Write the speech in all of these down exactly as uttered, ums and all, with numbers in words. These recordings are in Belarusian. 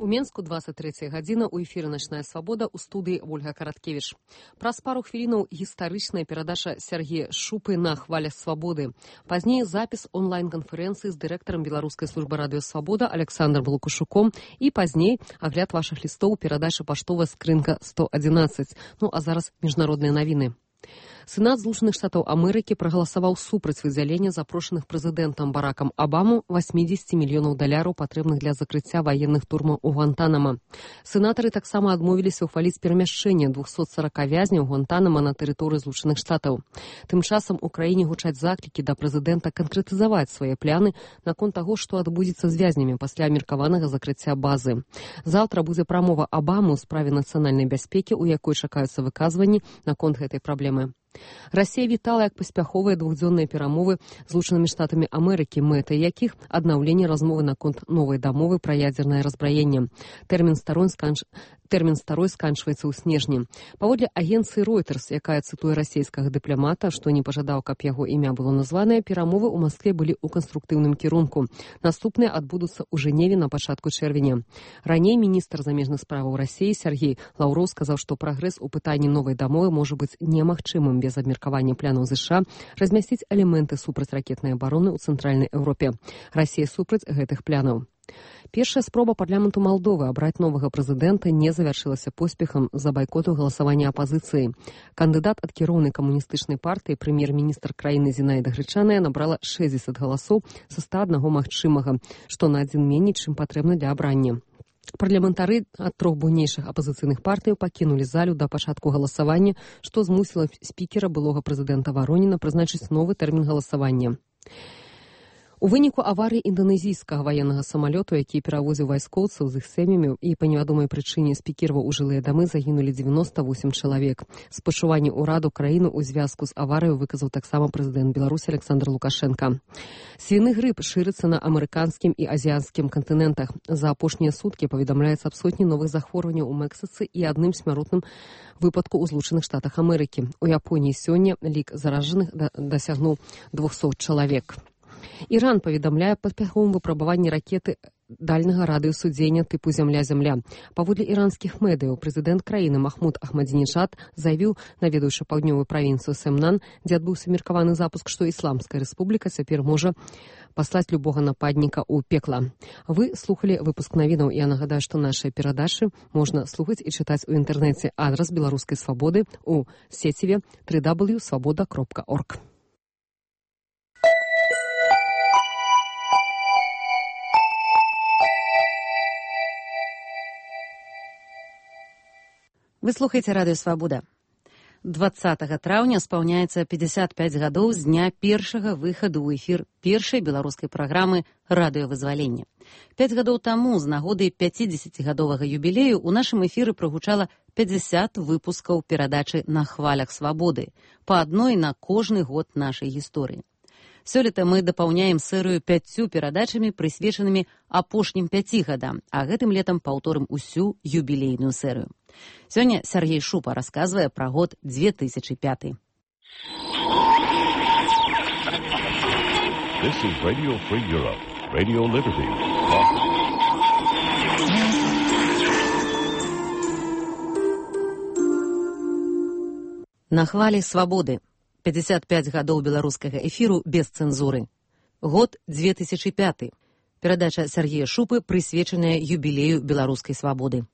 У Менску двадцать третья гадзіна, у эфіры «Начная свабода», у студыі Ольга Караткевіч. Праз пару хвілінаў гістарычная перадача Сергея Шупы на хвалях свабоды. Пазней запіс онлайн-канферэнцыі з дырэктарам Беларускай службы радыё «Свабода» Александром Лукашуком і пазней агляд вашых лістоў перадача паштовая скрынка сто адзінаццаць. Ну а зараз міжнародныя навіны. Сенат Злучаных Штатаў Амерыкі прагаласаваў супраць выдзялення запрошаных прэзідэнтам Баракам Абаму восемьдесят мільёнаў даляраў, патрэбных для закрыцця ваенных турмаў у Гуантанамо. Сенатары таксама адмовіліся ўхваліць перамяшчэнне двухсот сорока вязняў Гуантанамо на тэрыторыі Злучаных Штатаў. Тым часам у краіне гучаць заклікі да прэзідэнта канкрэтызаваць свае пляны наконт таго, што адбудзецца з вязнямі пасля меркаванага закрыцця базы. Заўтра будзе прамова Абамы ў справе нацыянальнай бяспекі, у якой чакаюцца выказванні наконт гэтай праблемы. Расія вітала як паспяховыя двухдзённыя перамовы з Злучанымі Штатамі Амерыкі, мэтай якіх аднаўленне размовы наконт новай дамовы пра ядзернае разбраенне. Тэрмін старой сканч... Тэрмін старой сканчваецца ў снежні. Паводле агенцыі Reuters, якая цытуе расійскага дыпламата, што не пажадаў, каб яго імя было названае, перамовы ў Маскве былі ў канструктыўным кірунку. Наступныя адбудуцца ў Жэневе на пачатку чэрвеня. Раней міністр замежных справаў Расіі Сергей Лаўроў сказаў, што прагрэс у пытанні новай дамовы можа быць немагчымым без абмеркавання планаў ЗША размясціць элементы супрацьракетнай абароны ў цэнтральнай Еўропе. Расія супраць гэтых планаў. Першая спроба парламенту Малдовы абраць новага прэзідэнта не завяршылася поспехам з-за байкоту галасавання апазіцыі. Кандыдат ад кіроўнай камуністычнай партыі, прэм'ер-міністр краіны Зінаіда Грычаная, набрала шэсцьдзесят галасоў са ста аднаго магчымага, што на адзін меней, чым патрэбна для абрання. Парламентары ад трох буйнейшых апазіцыйных партыяў пакінулі залю да пачатку галасавання, што змусіла спікера былога прэзідэнта Вароніна прызначыць новы тэрмін галасавання. У выніку аварыі інданезійскага ваеннага самалёту, які перавозіў вайскоўцаў з іх сям'ямі, і па невядомай прычыне спікіраваў у жылыя дамы, загінулі дзевяносто восемь чалавек. Спачуванне ўраду краіны ў звязку з аварыяй выказаў таксама прэзідэнт Беларусі Александр Лукашенко. Свіны грып шырыцца на амерыканскім і азіянскім кантынентах. За апошнія суткі паведамляецца аб сотні новых захворванняў у Мексіцы і адным смяротным выпадку ў Злучаных Штатах Амерыкі. У Японіі сёння лік заражаных дасягнуў двухсот чалавек. Іран паведамляе паспяховым выпрабаванні ракеты дальнага радыёсудзення тыпу «Зямля-Зямля». Паводле іранскіх медыяў, прэзідэнт краіны Махмуд Ахмадзінеджад заявіў, наведаўшы паўднёвую правінцыю Сэмнан, дзе адбыўся меркаваны запуск, што Ісламская рэспубліка цяпер можа паслаць любога нападніка ў пекла. Вы слухалі выпуск навінаў. Я нагадаю, што нашыя перадачы можна слухаць і чытаць у інтэрнэце. Адрас Беларускай свабоды ў сеціве дабл ю дабл ю крапка свабода крапка орг. Вы слухаеце радыё «Свабода». дваццатага траўня спаўняецца пятьдесят пять гадоў з дня першага выхаду ў эфір першай беларускай праграмы «Радыёвызваленне». Пяць гадоў таму з нагоды пяцідзесяцігадовага юбілею ў нашым эфіры прагучала пятьдесят выпускаў перадачы «На хвалях свабоды», па адной на кожны год нашай гісторыі. Сёлета мы дапаўняем серыю пяццю перадачамі, прысвечанымі апошнім пяці гадам, а гэтым летам паўторым усю юбілейную серыю. Сёння Сергей Шупа расказвае пра год две тысячи пятый. This is Radio Free Europe, Radio Liberty. На хвалі свабоды. пятьдесят пять гадоў беларускага эфіру без цэнзуры. Год две тысячи пятый. Перадача Сергея Шупы, прысвечаная юбілею беларускай свабоды.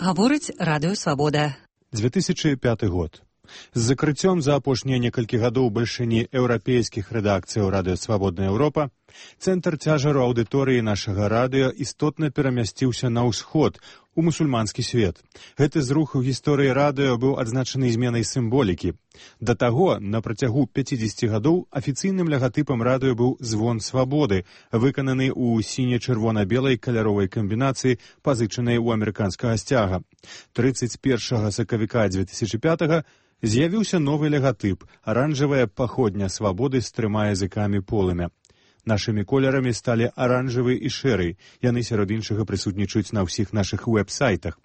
Гаворыць радыё «Свабода». две тысячи пятый год. З закрыццём за апошнія некалькі гадоў бальшыні еўрапейскіх рэдакцыяў радыё «Свабодная Еўропа» цэнтр цяжару аўдыторыі нашага радыё істотна перамясціўся на ўсход, у мусульманскі свет. Гэты зрух у гісторыі радыё быў адзначаны зменай сімволікі. Да таго, на працягу пяцідзесяці гадоў афіцыйным лагатыпам радыё быў звон свабоды, выкананы ў сіне-чырвона-белай каляровай камбінацыі, пазычанай у амерыканскага сцяга. трыццаць першага сакавіка две тысячи пятага З'явіўся новы лагатып, аранжавая паходня свабоды з трыма языкамі полымя. Нашымі колерамі сталі аранжавы і шэры, яны сярод іншага прысутнічаюць на ўсіх нашых вэб-сайтах.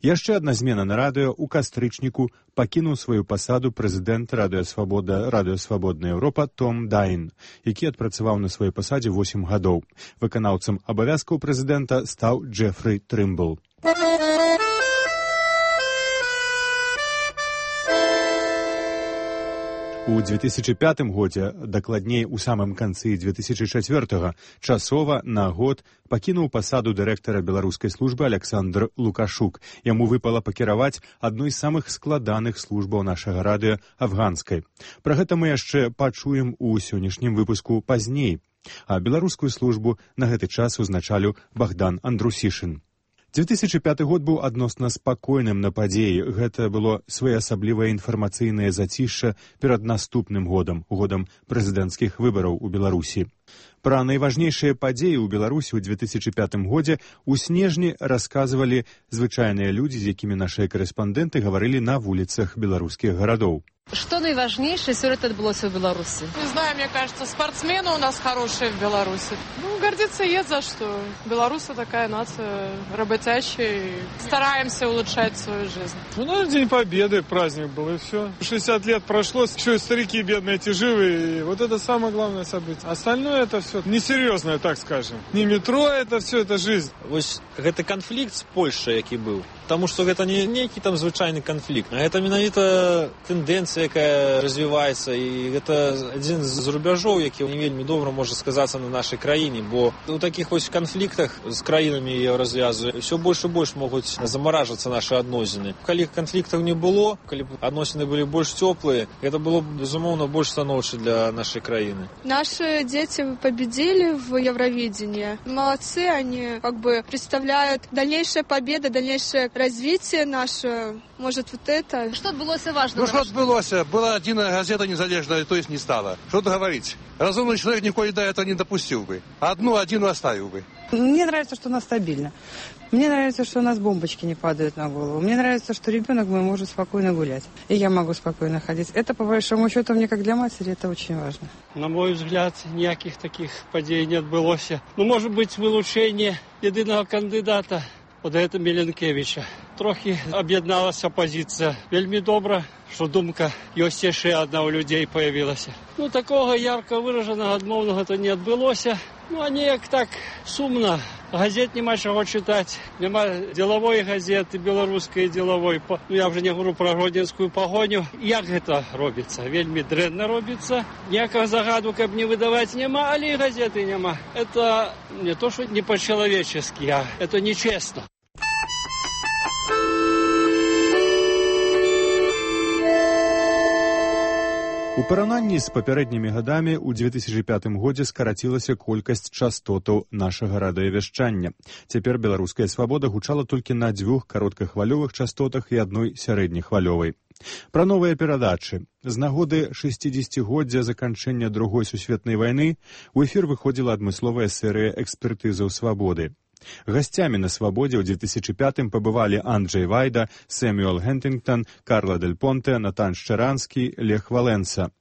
Яшчэ адна змена на радыё. У кастрычніку пакінуў сваю пасаду прэзідэнт Радыё Свабода, Радыё Свабодная Еўропа Том Дайн, які адпрацаваў на сваёй пасадзе восем гадоў. Выканаўцам абавязкаў прэзідэнта стаў Джефры Трымбл. У две тысячи пятым годзе, дакладней у самым канцы две тысячи чацвёртага, часова на год пакінуў пасаду дырэктара беларускай службы Александр Лукашук. Яму выпала пакіраваць адной з самых складаных службаў нашага радыё афганскай. Пра гэта мы яшчэ пачуем у сённяшнім выпуску пазней. А беларускую службу на гэты час узначаліў Богдан Андрусішын. две тысячи пяты год быў адносна спакойным на падзеі. Гэта было своеасаблівае інфармацыйнае зацішша перад наступным годам, годам прэзідэнцкіх выбараў у Беларусі. Пра найважнейшыя падзеі ў Беларусі ў две тысячи пятым годзе у снежні расказвалі звычайныя людзі, з якімі нашыя корэспандэнты гаварылі на вуліцах беларускіх гарадоў. Что наиважнейшее сёлета отбылося в Беларуси? Не знаю, мне кажется, спортсмены у нас хорошие в Беларуси. Ну, гордиться есть за что. Беларусы такая нация работящая, и стараемся улучшать свою жизнь. Ну, наверное, День Победы, праздник был, и все. шестьдесят лет прошло, еще и старики бедные, эти живые, и вот это самое главное событие. Остальное это все несерьезное, так скажем. Не метро, это все, это жизнь. Вот это конфликт с Польшей, який был. Потому что это не некий там звычайный конфликт, а это менавіта тенденция, якая развивается, и это один з рубяжоў, які не вельмі добра можа сказацца на нашай краіне, бо у таких вось конфликтах з краінамі Еўразвязу все больше и больше могуць замаражвацца наши адносіны. Калі конфликтаў не было, калі адносіны былі больш цёплыя, это было безумоўна больш станоўча для нашей краіны. Наши дети победили в Евровидении. Молодцы, они как бы представляют дальнейшая победа, дальнейшее развитие наше, может, вот это. Что отбылось важно? Ну, что отбылось? Была одна газета незалежная, то есть не стала. Что тут говорить? Разумный человек никогда до этого не допустил бы. Одну, один оставил бы. Мне нравится, что у нас стабильно. Мне нравится, что у нас бомбочки не падают на голову. Мне нравится, что ребенок мой может спокойно гулять. И я могу спокойно ходить. Это, по большому счету, мне как для матери, это очень важно. На мой взгляд, никаких таких подей не отбылось. Ну, может быть, вылучение единого кандидата. От гэта Міленкевича. Трохи об'єдналася опозиція. Вельмі добре, що думка ёсць яшчэ одна у людей появилася. Ну, такого ярко выраженного адмоўнага то не адбылося. Ну, а неяк так сумно. Газет нема чого читати. Нема ділової газети, білоруської ділової. Ну, я вже не говорю про гродненську погоню. Як гэта робиться? Вельмі дрэнна робиться. Ніякого загаду, каб не видавати, нема, але і газети нема. Это не то, що не по-человечески, а это нечестно. У параўнанні з папярэднімі гадамі ў две тысячи пятым годзе скарацілася колькасць частотаў нашага радыёвяшчання. Цяпер беларуская свабода гучала толькі на дзвюх кароткахвалёвых частотах і адной сярэднехвалёвай. Пра новыя перадачы. З нагоды шэсцідзесяцігоддзя заканчэння другой сусветнай вайны у эфір выходзіла адмысловая серыя экспертызаў свабоды. Гасцямі на свабодзе ў две тысячи пятым пабывалі Анджэй Вайда, Сэмюэл Гентынгтон, Карла Дель Понте, Натан Шчаранскі, Лех Валенса.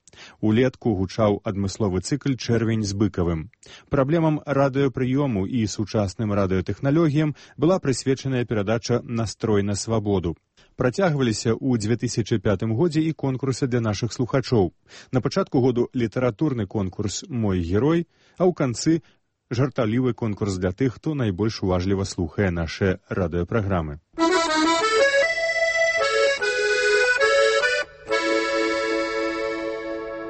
Улетку гучаў адмысловы цыкл «Чэрвень з быкавым». Праблемам радыёпрыёму і сучасным радыётэхналогіям была прысвечаная перадача «Настрой на свабоду». Працягваліся ў две тысячи пятым годзе і конкурсы для нашых слухачоў. На пачатку году літаратурны конкурс «Мой герой», а ў канцы жартаўлівы конкурс для тых, хто найбольш уважліва слухае нашыя радыёпраграмы.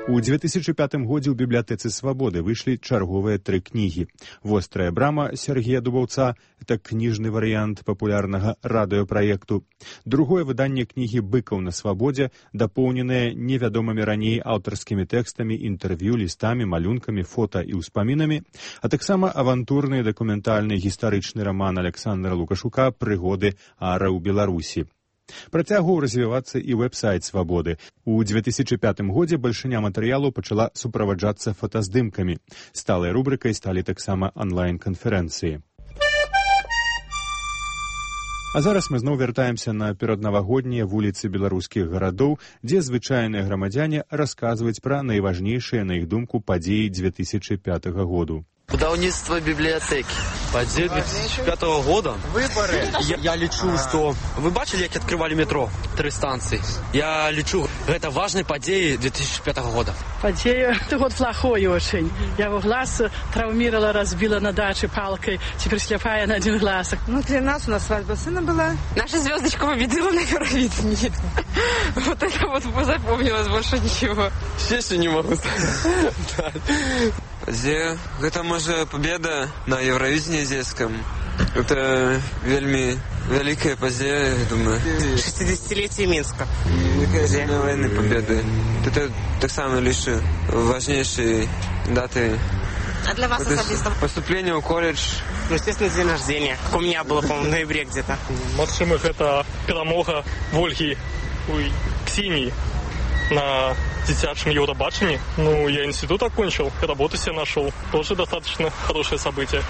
У две тысячи пятым годзе ў бібліятэцы свабоды выйшлі чарговыя тры кнігі. «Вострая брама» Сергея Дубаўца – это кніжны варыянт папулярнага радыёпраекту. Другое выданне кнігі «Быкаў на свабодзе», дапоўненае невядомымі раней аўтарскімі тэкстамі, інтэрв'ю, лістамі, малюнкамі, фота і ўспамінамі, а таксама авантурны дакументальны гістарычны раман Александра Лукашука «Прыгоды ара ў Беларусі». Працягваў развівацца і вэб-сайт «Свабоды». У две тысячи пятым годзе бальшыня матэрыялу пачала суправаджацца фотаздымкамі. Сталай рубрыкай сталі таксама онлайн-канферэнцыі. А зараз мы зноў вяртаемся на пераднавагоднія вуліцы беларускіх гарадоў, дзе звычайныя грамадзяне расказваюць пра найважнейшыя, на іх думку, падзеі две тысячи пятого году. Будаўніцтва библиотеки. Падзея две тысячи пятого года? Выборы. Я, я лічу, што... Вы бачили, як открывали метро? Три станции. Я лічу, это важные падзеи две тысячи пятого года. Падзея, это год плохой очень. Я его глаз травмировала, разбила на даче палкой, теперь слепая на один глаз. Ну, для нас у нас свадьба сына была. Наша звездочка победила на Евровидении. Вот это вот запомнилось, больше ничего. Честно не могу сказать. Падзея, гэта можа победа на Евровидении дзецкам. Это вельми великая падзея, я думаю. шестидесятилетие Минска. Великая земля войны победы. Это так само лишь важнейшие даты. А для вас особисто? Поступление в колледж. Ну, естественно, день рождения. Как у меня было, по-моему, в ноябре где-то. Максимых это перемога Ольги, ой, Ксении на детячем Евробачении. Ну, я институт окончил, работу себе нашел. Тоже достаточно хорошее событие.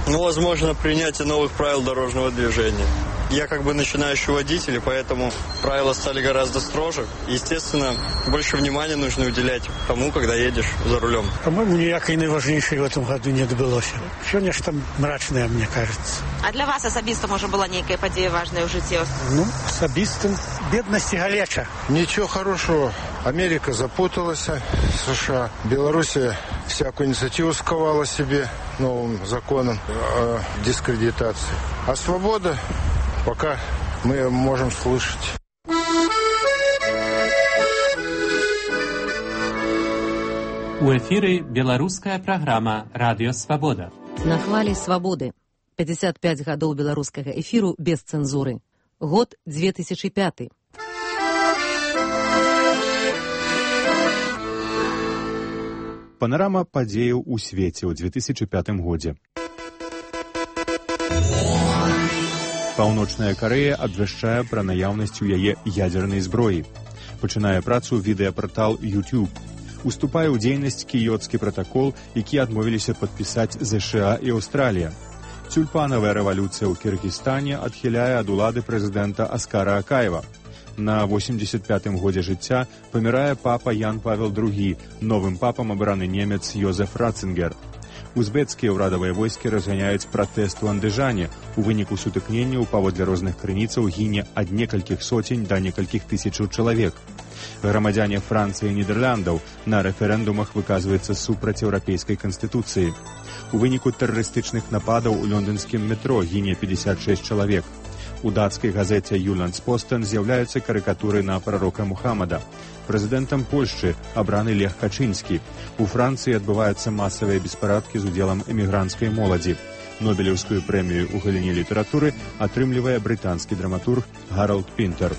Ну, возможно, принятие новых правил дорожного движения. Я как бы начинающий водитель, и поэтому правила стали гораздо строже. Естественно, больше внимания нужно уделять тому, когда едешь за рулем. По-моему, ніякої найважнішої в этом году не добилося. Все нечто мрачное, мне кажется. А для вас особисто, может, была некая подея важная в житті? Ну, особисто бедность и галеча. Ничего хорошего. Америка запуталась, США. Белоруссия всякую инициативу сковала себе новым законом о дискредитации. А свобода пока мы можем слышать. У эфіры беларуская праграма «Радыё Свабода». На хвалі свабоды. пятьдесят пять гадоў беларускага эфіру без цэнзуры. Год две тысячи пятый. Панарама падзеяў у свеце ў две тысячи пятым годзе. Паўночная Карэя абвяшчае пра наяўнасць у яе ядзернай зброі. Пачынае працу відэапартал YouTube. Уступае ў дзейнасць кіёцкі пратакол, які адмовіліся падпісаць ЗША і Аўстралія. Тюльпанавая рэвалюцыя ў Кіргізстане адхіляе ад улады прэзідэнта Аскара Акаева. На восемьдесят пятым годзе жыцця памірае папа Ян Павел другі, новым папам абраны немец Йозеф Ратцингер. Узбецкія ўрадавыя войскі разганяюць пратэст у Андыжане. У выніку сутыкненняў паводле розных крыніцаў гіне ад некалькіх соцень да некалькіх тысячаў чалавек. Грамадзяне Францыі і Нідерландаў на рэферэндумах выказваюцца супраць еўрапейскай канстытуцыі. У выніку тэрарыстычных нападаў у лондонскім метро гіне пятьдесят шесть чалавек. У дацкай газеце «Юландспостен» з'яўляюцца карыкатуры на прарока Мухаммада. Прэзідэнтам Польшчы абраны Лех Качынскі. У Францыі адбываюцца масавыя беспарадкі з удзелам эмігранцкай моладзі. Нобелеўскую прэмію ў галіне літаратуры атрымлівае брытанскі драматург Гаралд Пінтер.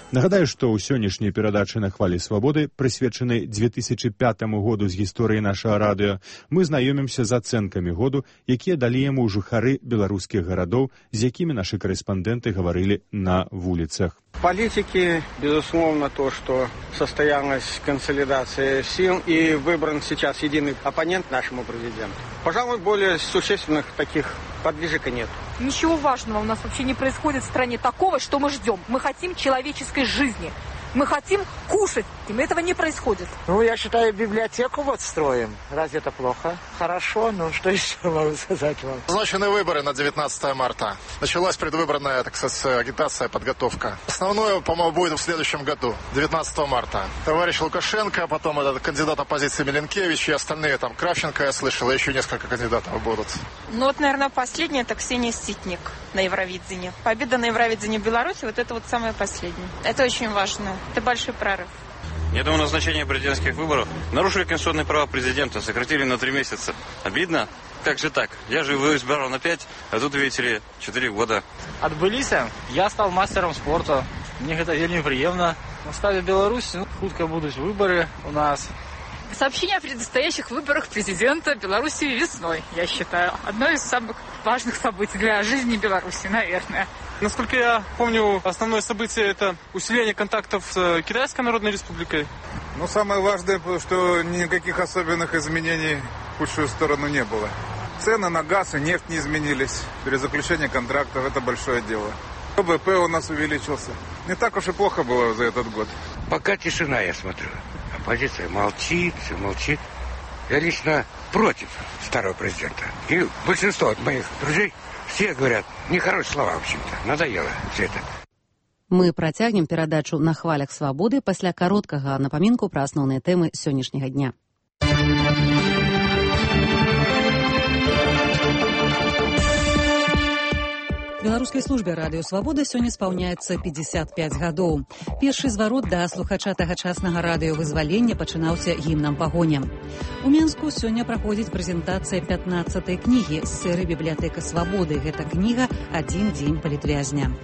Нагадаю, што ў сённяшняй перадачы на хвалі свабоды, прысвечанай две тысячи пятому году з гісторыі нашага радыё, мы знаёмімся з ацэнкамі году, якія далі яму жыхары беларускіх гарадоў, з якімі нашы карэспандэнты гаварылі на вуліцах. Политики, безусловно, то, что состоялась консолидация сил и выбран сейчас единый оппонент нашему президенту. Пожалуй, более существенных таких подвижек нет. Ничего важного у нас вообще не происходит в стране такого, что мы ждем. Мы хотим человеческой жизни. Мы хотим кушать, и этого не происходит. Ну, я считаю, библиотеку вот строим. Разве это плохо? Хорошо, ну что еще могу сказать вам? Назначены выборы на девятнадцатое марта. Началась предвыборная, так сказать, агитация, подготовка. Основное, по-моему, будет в следующем году, девятнадцатого марта. Товарищ Лукашенко, потом этот кандидат оппозиции Миленкевич и остальные, там, Кравченко, я слышал, еще несколько кандидатов будут. Ну, вот, наверное, последняя, это Ксения Ситник на Евровидении. Победа на Евровидении в Беларуси, вот это вот самое последнее. Это очень важно. Это большой прорыв. Я думаю, назначение президентских выборов нарушили конституционные права президента, сократили на три месяца. Обидно? Как же так? Я же его избирал на пять, а тут, видите ли, четыре года. Отбылись, я стал мастером спорта. Мне это вельми приемно. В стали Беларусь, ну, хутко будут выборы у нас. Сообщение о предстоящих выборах президента Беларуси весной, я считаю. Одно из самых важных событий для жизни Беларуси, наверное. Насколько я помню, основное событие – это усиление контактов с Китайской Народной Республикой. Ну, самое важное, что никаких особенных изменений в худшую сторону не было. Цены на газ и нефть не изменились. Перезаключение контрактов – это большое дело. ВВП у нас увеличился. Не так уж и плохо было за этот год. Пока тишина, я смотрю. Оппозиция молчит, все молчит. Я лично против старого президента. И большинство от моих друзей все говорят нехорошие слова, в общем-то. Надоело все это. Мы працягнем перадачу на хвалях свабоды пасля кароткага напамінку пра асноўныя тэмы сённяшняга дня. Беларускай службе радыё «Свабода» сёння спаўняецца пятьдесят пять гадоў. Першы зварот да слухача тагачаснага радыёвызвалення пачынаўся гімнам пагоня. У Менску сёння праходзіць прэзентацыя пятнаццатай кнігі з серыі «Бібліятэка свабоды». Гэта кніга «Адзін дзень палітвязня».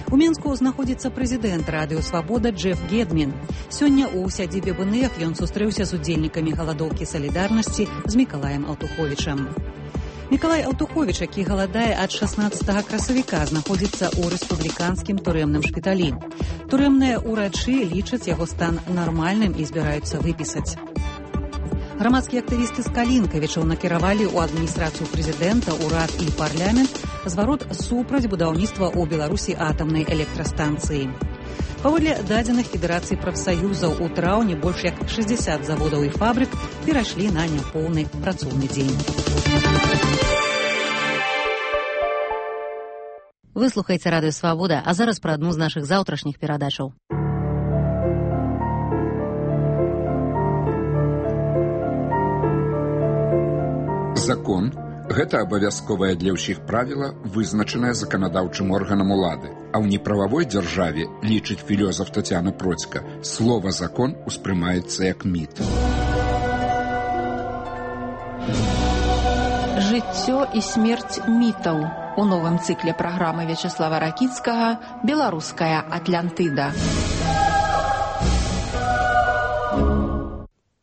У Менску знаходзіцца прэзідэнт радыё «Свабода» Джеф Гедмін. Сёння ў сядзібе БНФ ён сустрэўся з удзельнікамі галадоўкі салідарнасці з Мікалаем Алтуховічам. Мікалай Алтуховіч, які галадае ад шаснаццатага красавіка, знаходзіцца ў рэспубліканскім турэмным шпіталі. Турэмныя ўрачы лічаць яго стан нармальным і збіраюцца выпісаць. Грамадскія актывісты з Калінкавічаў накіравалі ў адміністрацыю прэзідэнта, урад і парламент зварот супраць будаўніцтва ў Беларусі атамнай электрастанцыі. Паводле дадзеных Федэрацыі прафсаюзаў, у траўні больш як шэсцьдзесят заводаў і фабрык перайшлі на няпоўны працоўны дзень. Вы слухаеце радыё «Свабода», а зараз пра адну з нашых заўтрашніх перадачаў. Закон – гэта абавязковае для ўсіх правіла, вызначанае заканадаўчым органам улады. А ў неправавой дзяржаве, лічыць філёзаф Тацяна Процька, слова «закон» успрымаецца як міт. Жыццё і смерць мітаў. У новым цыкле праграмы Вячеслава Ракіцкага «Беларуская Атлантыда».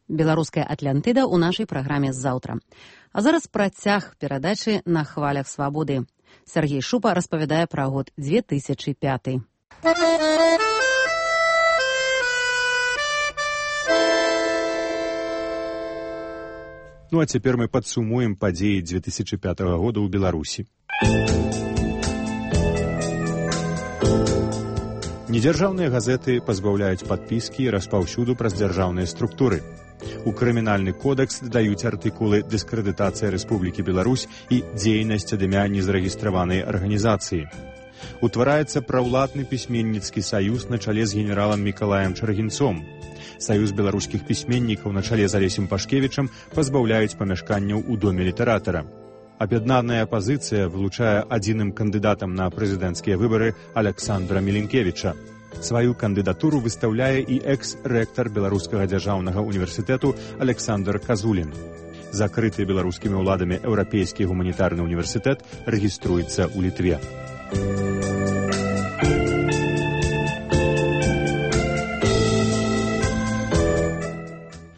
Беларуская Атлантыда ў нашай праграме заўтра. А зараз працяг перадачы на хвалях свабоды. Сергей Шупа распавядае пра год две тысячи пяты. Ну а цяпер мы падсумуем падзеі две тысячи пятага года ў Беларусі. Недзяржаўныя газеты пазбаўляюць падпіскі і распаўсюду праз дзяржаўныя структуры. У крымінальны кодекс дадаюць артыкулы «Дыскрэдытацыя Рэспублікі Беларусь» і «Дзейнасць ад імя незарэгістраванай арганізацыі». Утвараецца праўладны пісьменніцкі саюз на чале з генералам Мікалаем Чаргінцом. Саюз беларускіх пісьменнікаў на чале з Алесем Пашкевічам пазбаўляюць памяшканняў у доме літаратара. Аб'яднаная апазіцыя вылучае адзіным кандыдатам на прэзідэнцкія выбары Аляксандра Міленкевіча. Сваю кандыдатуру выстаўляе і экс-рэктар Беларускага дзяржаўнага універсітэту Александр Казулін. Закрыты беларускімі ўладамі Еўрапейскі гуманітарны універсітэт рэгіструецца ў Літве.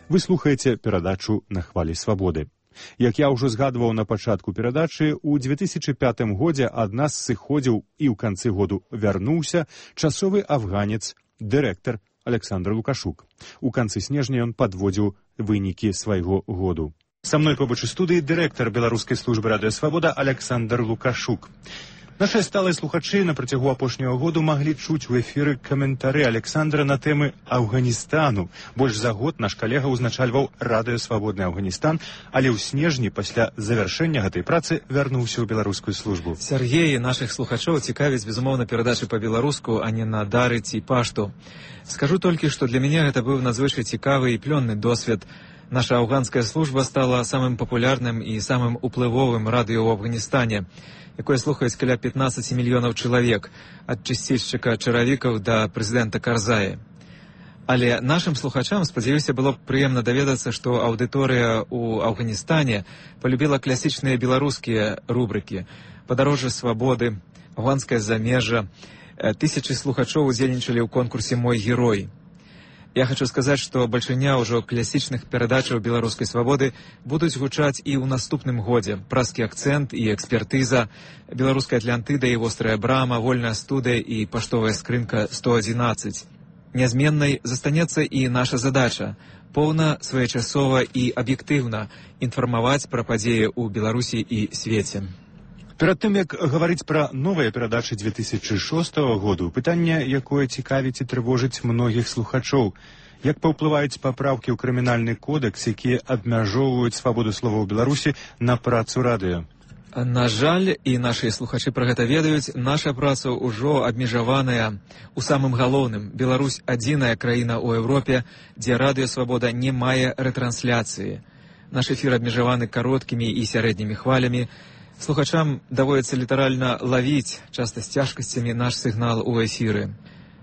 Вы слухаеце перадачу на хвалі свабоды. Як я ўжо згадваў на пачатку перадачы, у две тысячи пятым годзе ад нас сыходзіў і ў канцы году вярнуўся часовы афганец, дырэктар Александр Лукашук. У канцы снежня ён падводзіў вынікі свайго году. Са мной побач у студыі дырэктар Беларускай службы радыё «Свабода» Александр Лукашук. Нашыя сталыя слухачы на працягу апошняга году маглі чуць у эфіры каментары Александра на тэмы Афганістану. Больш за год наш калега ўзначальваў радыё «Свабодны Афганістан», але ў снежні пасля завяршэння гэтай працы вярнуўся ў беларускую службу. Сергей, нашых слухачоў цікавіць, безумоўна, перадачы па-беларуску, а не на дары ці пашту. Скажу толькі, што для мяне гэта быў надзвычай цікавы і плённы досвед. Наша афганская служба стала самым папулярным і самым уплывовым радыё ў Афганістане, якое слухаюць каля пятнадцать мільёнаў чалавек, ад чысцільшчыка чаравікаў да прэзідэнта Карзая. Але нашым слухачам, спадзяюся, было прыемна даведацца, што аўдыторыя ў Афганістане полюбіла класічныя беларускія рубрыкі «Падарожжа свабоды», «Афганскае замежжа». Тысячы слухачоў удзельнічалі ў конкурсе «Мой герой». Я хочу сказаць, што бальшыня ўжо класічных перадачаў беларускай свабоды будуць гучаць і ў наступным годзе. Праскі акцэнт і экспертыза, беларуская Атлантыда і вострая брама, вольная студыя і паштовая скрынка сто адзінаццаць. Нязменнай застанецца і наша задача поўна, своечасова і аб'ектыўна інфармаваць пра падзеі ў Беларусі і свеце. Перад тым, як гаварыць пра новыя перадачы две тысячы шостага году, пытанне, якое цікавіць і трывожыць многіх слухачоў. Як паўплываюць папраўкі ў крымінальны кодэкс, якія абмяжоўваюць свабоду слова ў Беларусі на працу радыё? На жаль, і нашы слухачы пра гэта ведаюць, наша праца ўжо абмежаваная у самым галоўным. Беларусь адзіная краіна ў Еўропе, дзе радыёсвабода не мае рэтрансляцыі. Наш эфір абмежаваны кароткімі і сярэднімі хвалямі. Слухачам даводзіцца літаральна лавіць, часта з цяжкасцямі, наш сігнал у эфіры.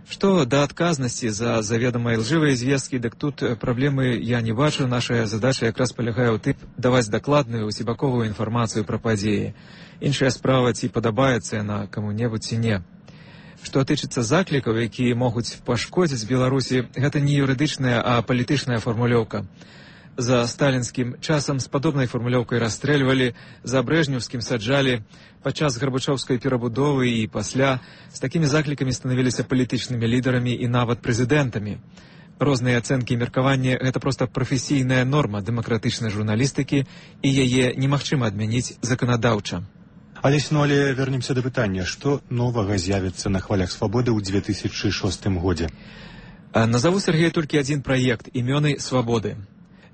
Што да адказнасці за заведамыя лжывыя звесткі, дык тут праблемы я не бачу. Наша задача якраз палягае ў тым, даваць дакладную, усебаковую інфармацыю пра падзеі. Іншая справа, ці падабаецца яна каму-небудзь ці не. Што тычыцца заклікаў, якія могуць пашкодзіць Беларусі, гэта не юрыдычная, а палітычная фармулёўка. За сталінскім часам з падобнай фармулёўкай расстрэльвалі, за брэжнеўскім саджалі, падчас гарбачоўскай перабудовы і пасля з такімі заклікамі станавіліся палітычнымі лідарамі і нават прэзідэнтамі. Розныя ацэнкі і меркаванні – гэта проста прафесійная норма дэмакратычнай журналістыкі, і яе немагчыма адмяніць заканадаўча. Алесь, ну але вернемся да пытання, што новага з'явіцца на хвалях свабоды ў две тысячы шостым годзе? Назову, Сергей, толькі адзін праект – імёны свабоды.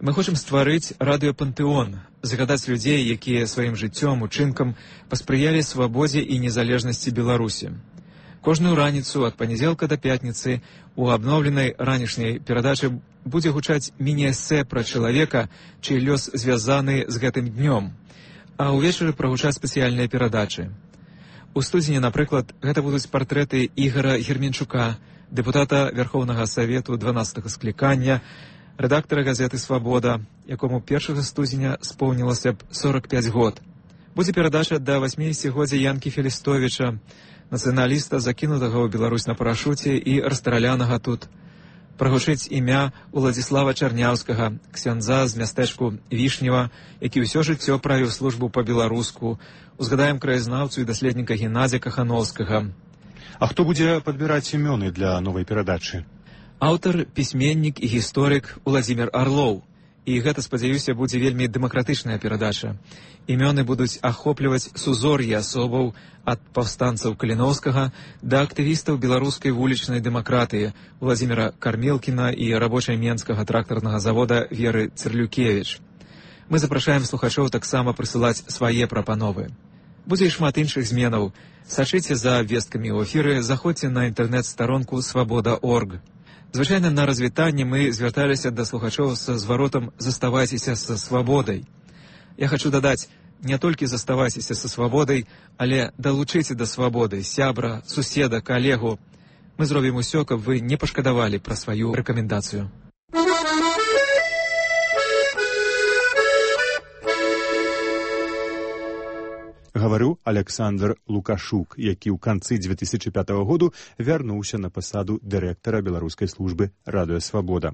Мы хочам стварыць радыёпантэон, загадаць людзей, якія сваім жыццём, учынкам паспрыялі свабодзе і незалежнасці Беларусі. Кожную раніцу ад панядзелка да пятніцы у абноўленай ранішняй перадачы будзе гучаць міні-эсэ пра чалавека, чый лёс звязаны з гэтым днём, а ўвечары прагучаць спецыяльныя перадачы. У студзені, напрыклад, гэта будуць партрэты Ігара Герменчука, дэпутата Верхоўнага Савету дванаццатага склікання, рэдактара газеты «Свабода», якому першага студзеня споўнілася б сорак пяць год. Будзе перадача да васьмідзесяцігоддзя Янкі Фелістовіча, нацыяналіста, закінутага ў Беларусь на парашуце і расстралянага тут. Прагучыць імя Уладзіслава Чарняўскага, ксяндза з мястэчку Вішнева, які ўсё жыццё правіў службу па-беларуску. Узгадаем краязнаўцу і даследніка Геннадзя Кахановскага. А хто будзе падбіраць імёны для новай перадачы? Аўтар, пісьменнік і гісторык Уладзімір Арлоў. І гэта, спадзяюся, будзе вельмі дэмакратычная перадача. Імёны будуць ахопліваць сузор'е асобаў ад паўстанцаў Каліноўскага да актывістаў беларускай вулічнай дэмакратыі Уладзіміра Кармелкіна і рабочай менскага трактарнага завода Веры Цырлюкевіч. Мы запрашаем слухачоў таксама прысылаць свае прапановы. Будзе і шмат іншых зменаў. Сачыце за абвесткамі ў эфіры, заходзьце на інтэрнэт-старонку свабода точка орг. Звычайна на развітанне мы звярталіся да слухачоў са зваротам «Заставайцеся са свабодай». Я хачу дадаць, не толькі заставайцеся са свабодай, але далучыце да свабоды сябра, суседа, калегу. Мы зробім усё, каб вы не пашкадавалі пра сваю рэкамендацыю. Гаварыў Александр Лукашук, які ў канцы две тысячы пятага году вярнуўся на пасаду дырэктара беларускай службы «Радыёсвабода».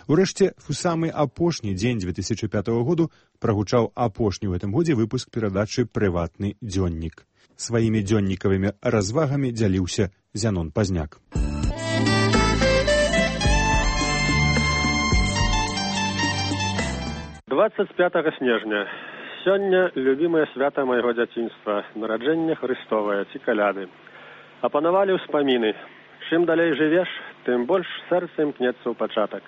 Урэшце, у самы апошні дзень две тысячы пятага году прагучаў апошні ў гэтым годзе выпуск перадачы «Прыватны дзённік». Сваімі дзённікавымі развагамі дзяліўся Зянон Пазняк. двадцать пятага снежня. Сёння любімае свята майго дзяцінства, нараджэнне Хрыстовае ці каляды. Апанавалі ўспаміны. Чым далей жывеш, тым больш сэрца імкнецца ў пачатак.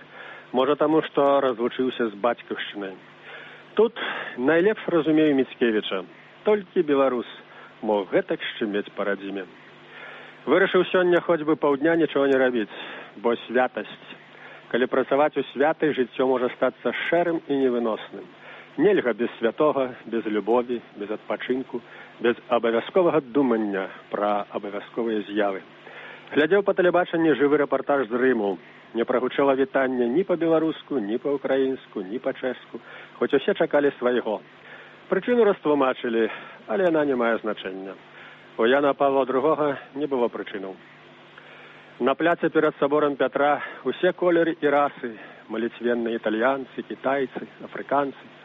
Можа таму, што разлучыўся з бацькаўшчынай. Тут найлепш разумею Міцкевіча. Толькі беларус мог гэтак шчымець па радзіме. Вырашыў сёння хоць бы паўдня нічого не рабіць, бо святасць. Калі працаваць у святай, жыццё можа стацца шэрым і невыносным. Нельга без святога, без любові, без адпачынку, без абавязковага думання пра абавязковыя з'явы. Глядзеў па тэлебачанні жывы рэпартаж з Рыму. Не прагучала вітання ні па-беларуску, ні па-украінску, ні па-чэшску, хоць усе чакалі свайго. Прычыну растлумачылі, але яна не мае значэння. У Яна Павла другога не было прычынаў. На пляце перад саборам Пятра усе колеры і расы, маліцвенныя італьянцы, кітайцы, афрыканцы.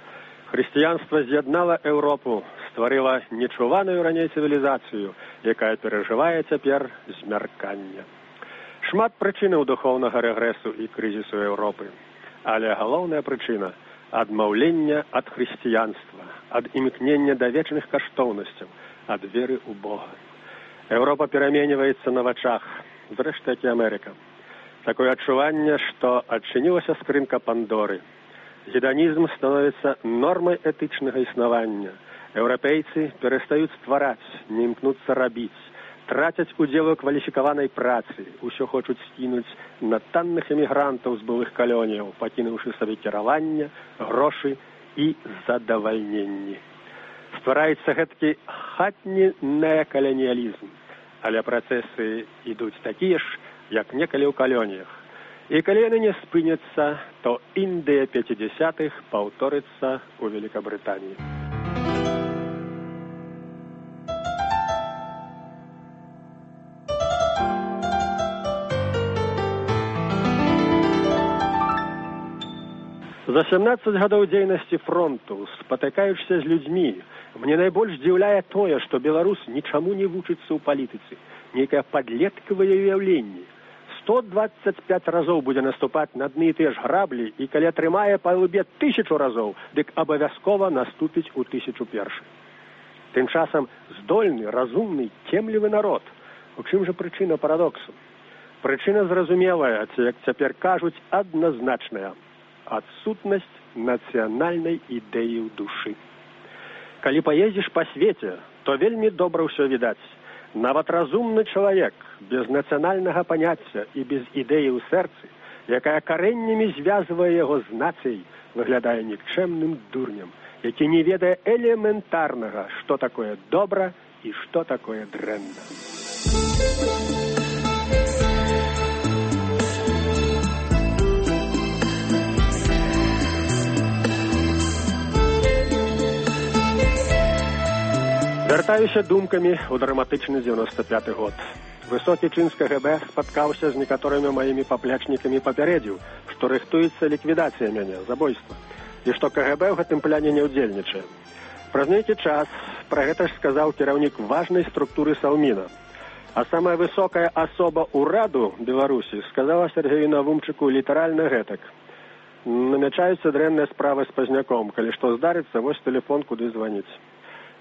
Хрысціянства з'яднала Еўропу, стварыла нечуваную раней цывілізацыю, якая перажывае цяпер змяркання. Шмат прычынаў духоўнага рэгрэсу і крызісу Еўропы. Але галоўная прычына адмаўлення ад хрысціянства, ад імкнення да вечных каштоўнасцяў, ад веры ў Бога. Еўропа пераменьваецца на вачах, зрэшты, як і Амерыка. Такое адчуванне, што адчынілася скрынка Пандоры. Гедонізм становіцца нормай этычнага існавання. Еўрапейцы перастаюць ствараць, не імкнуцца рабіць, трацяць удзел у кваліфікаванай працы, усё хочуць скінуць на танных эмігрантаў з былых калоніяў, пакінуўшы сабе кіраванне, грошы і задавальненні. Ствараецца гэткі хатні неакаланіялізм, але працэсы ідуць такія ж, як некалі ў калоніях. І калі яны не спыняцца, то Індыя пяцідзясятых паўторыцца ў Великабрытаніі. За сямнаццаць гадоў дзейнасці фронту, спатыкаючыся з людзьмі, мне найбольш здзіўляе тое, што беларус нічаму не вучыцца ў палітыцы, нейкае падлеткавае ўяўленне. сто дваццаць пяць разоў будзе наступаць на адны і тыя ж граблі, і калі атрымае па лбе тысячу разоў, дык абавязкова наступіць у тысячу першы. Тым часам здольны, разумны, цемлівы народ. У чым жа прычына парадоксу? Прычына зразумелая, ці, як цяпер кажуць, адназначная. Адсутнасць нацыянальнай ідэі ў душы. Калі паездзіш па свеце, то вельмі добра ўсё відаць. Нават разумны чалавек, без нацыянальнага паняцця і без ідэі ў сэрцы, якая карэннямі звязвае яго з нацыяй, выглядае нікчэмным дурнем, які не ведае элементарнага, што такое добра і што такое дрэнна. Вяртаюся думкамі ў драматычны дзевяносто пяты год. Высокі чын з КГБ спаткаўся з некаторымі маімі паплечнікамі і папярэдзіў, што рыхтуецца ліквідацыя мяне, забойства, і што КГБ ў гэтым пляне не ўдзельнічае. Праз нейкі час пра гэта ж сказаў кіраўнік важнай структуры Салміна. А самая высокая асоба ўраду Беларусі сказала Сергею Навумчыку літаральна гэтак. Намячаюцца дрэнныя справы з пазняком, калі што здарыцца, вось тэлефон, куды званіць.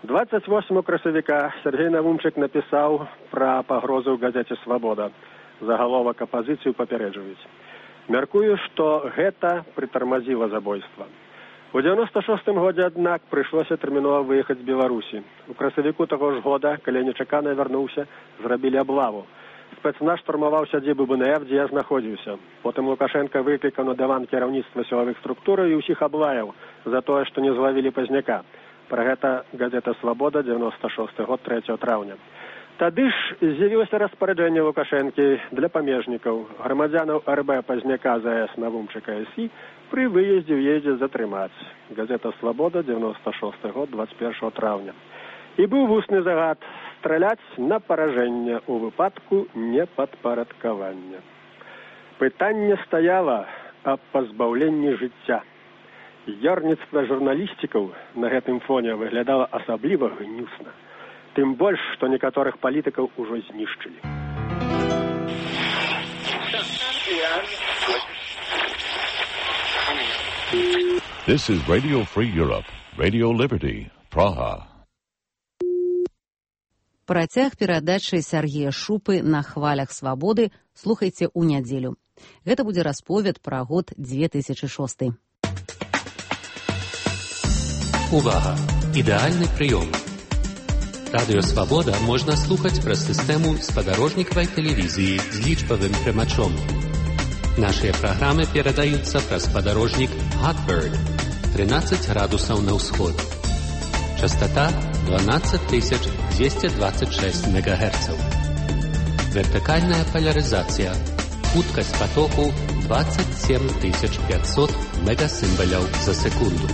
двадцать восьмого красавіка Сергей Навумчык напісаў пра пагрозу ў газеце «Свабода». Загаловак апазіцыю папярэджваюць. Мяркую, што гэта прытармазіла забойства. У дзевяносто шостым годзе, аднак, прыйшлося тэрмінова выехаць з Беларусі. У красавіку таго ж года, калі нечакана вярнуўся, зрабілі аблаву. Спецназ штурмаваў сядзібу Бэ Эн Эф, дзе я знаходзіўся. Потым Лукашенка выклікаў на дыван кіраўніцтва сілавых структураў і ўсіх аблаяў за тое, што не злавілі пазняка. Пра гэта газета «Свабода», дзевяносто шосты год, трэцяга траўня. Тады ж з'явілася распараджэнне Лукашэнкі для памежнікаў, грамадзянаў эр бэ пазняка за эс Навумчыка эс і пры выездзе ў едзе затрымаць. Газета «Свабода», дзевяносто шосты год, двадцать першага траўня. І быў вусны загад страляць на паражэнне ў выпадку непадпарадкавання. Пытанне стаяла аб пазбаўленні жыцця. Ярніцтва журналістыкаў на гэтым фоне выглядала асабліва гнюсна. Тым больш, што некаторых палітыкаў ужо знішчылі. This is Radio Free Europe, Radio Liberty, Praha. Працяг перадачы Сергея Шупы на хвалях свабоды слухайце ў нядзелю. Гэта будзе расповед пра год две тысячы шосты. Увага! Ідэальны прыём. Радыё «Свабода» можна слухаць праз сістэму спадарожнікавай тэлевізіі з лічбавым прымачом. Нашыя праграмы перадаюцца праз спадарожнік Hotbird тринадцать градусаў на ўсход. Частота дванадцать тысяч двести двадцать шесть мегагерцаў. Вертыкальная поляризація. Хуткасць потоку двадцать семь тысяч пятьсот мегасимволяў за секунду.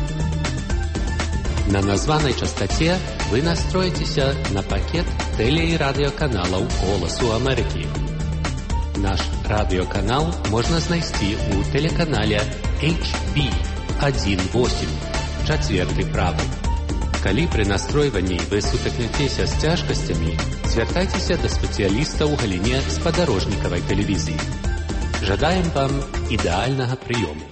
На названай частоце вы настроитеся на пакет теле- і радыёканалаў «Голасу Амерыкі». Наш радыёканал можна знайсці ў тэлеканале эйч би один восемь, чацверты правы. Калі пры настройванні вы сутыкнецеся з цяжкасцямі, звяртайцеся да спецыяліста ў галіне спадарожнікавай тэлевізіі. Жадаем вам ідэальнага прыёму.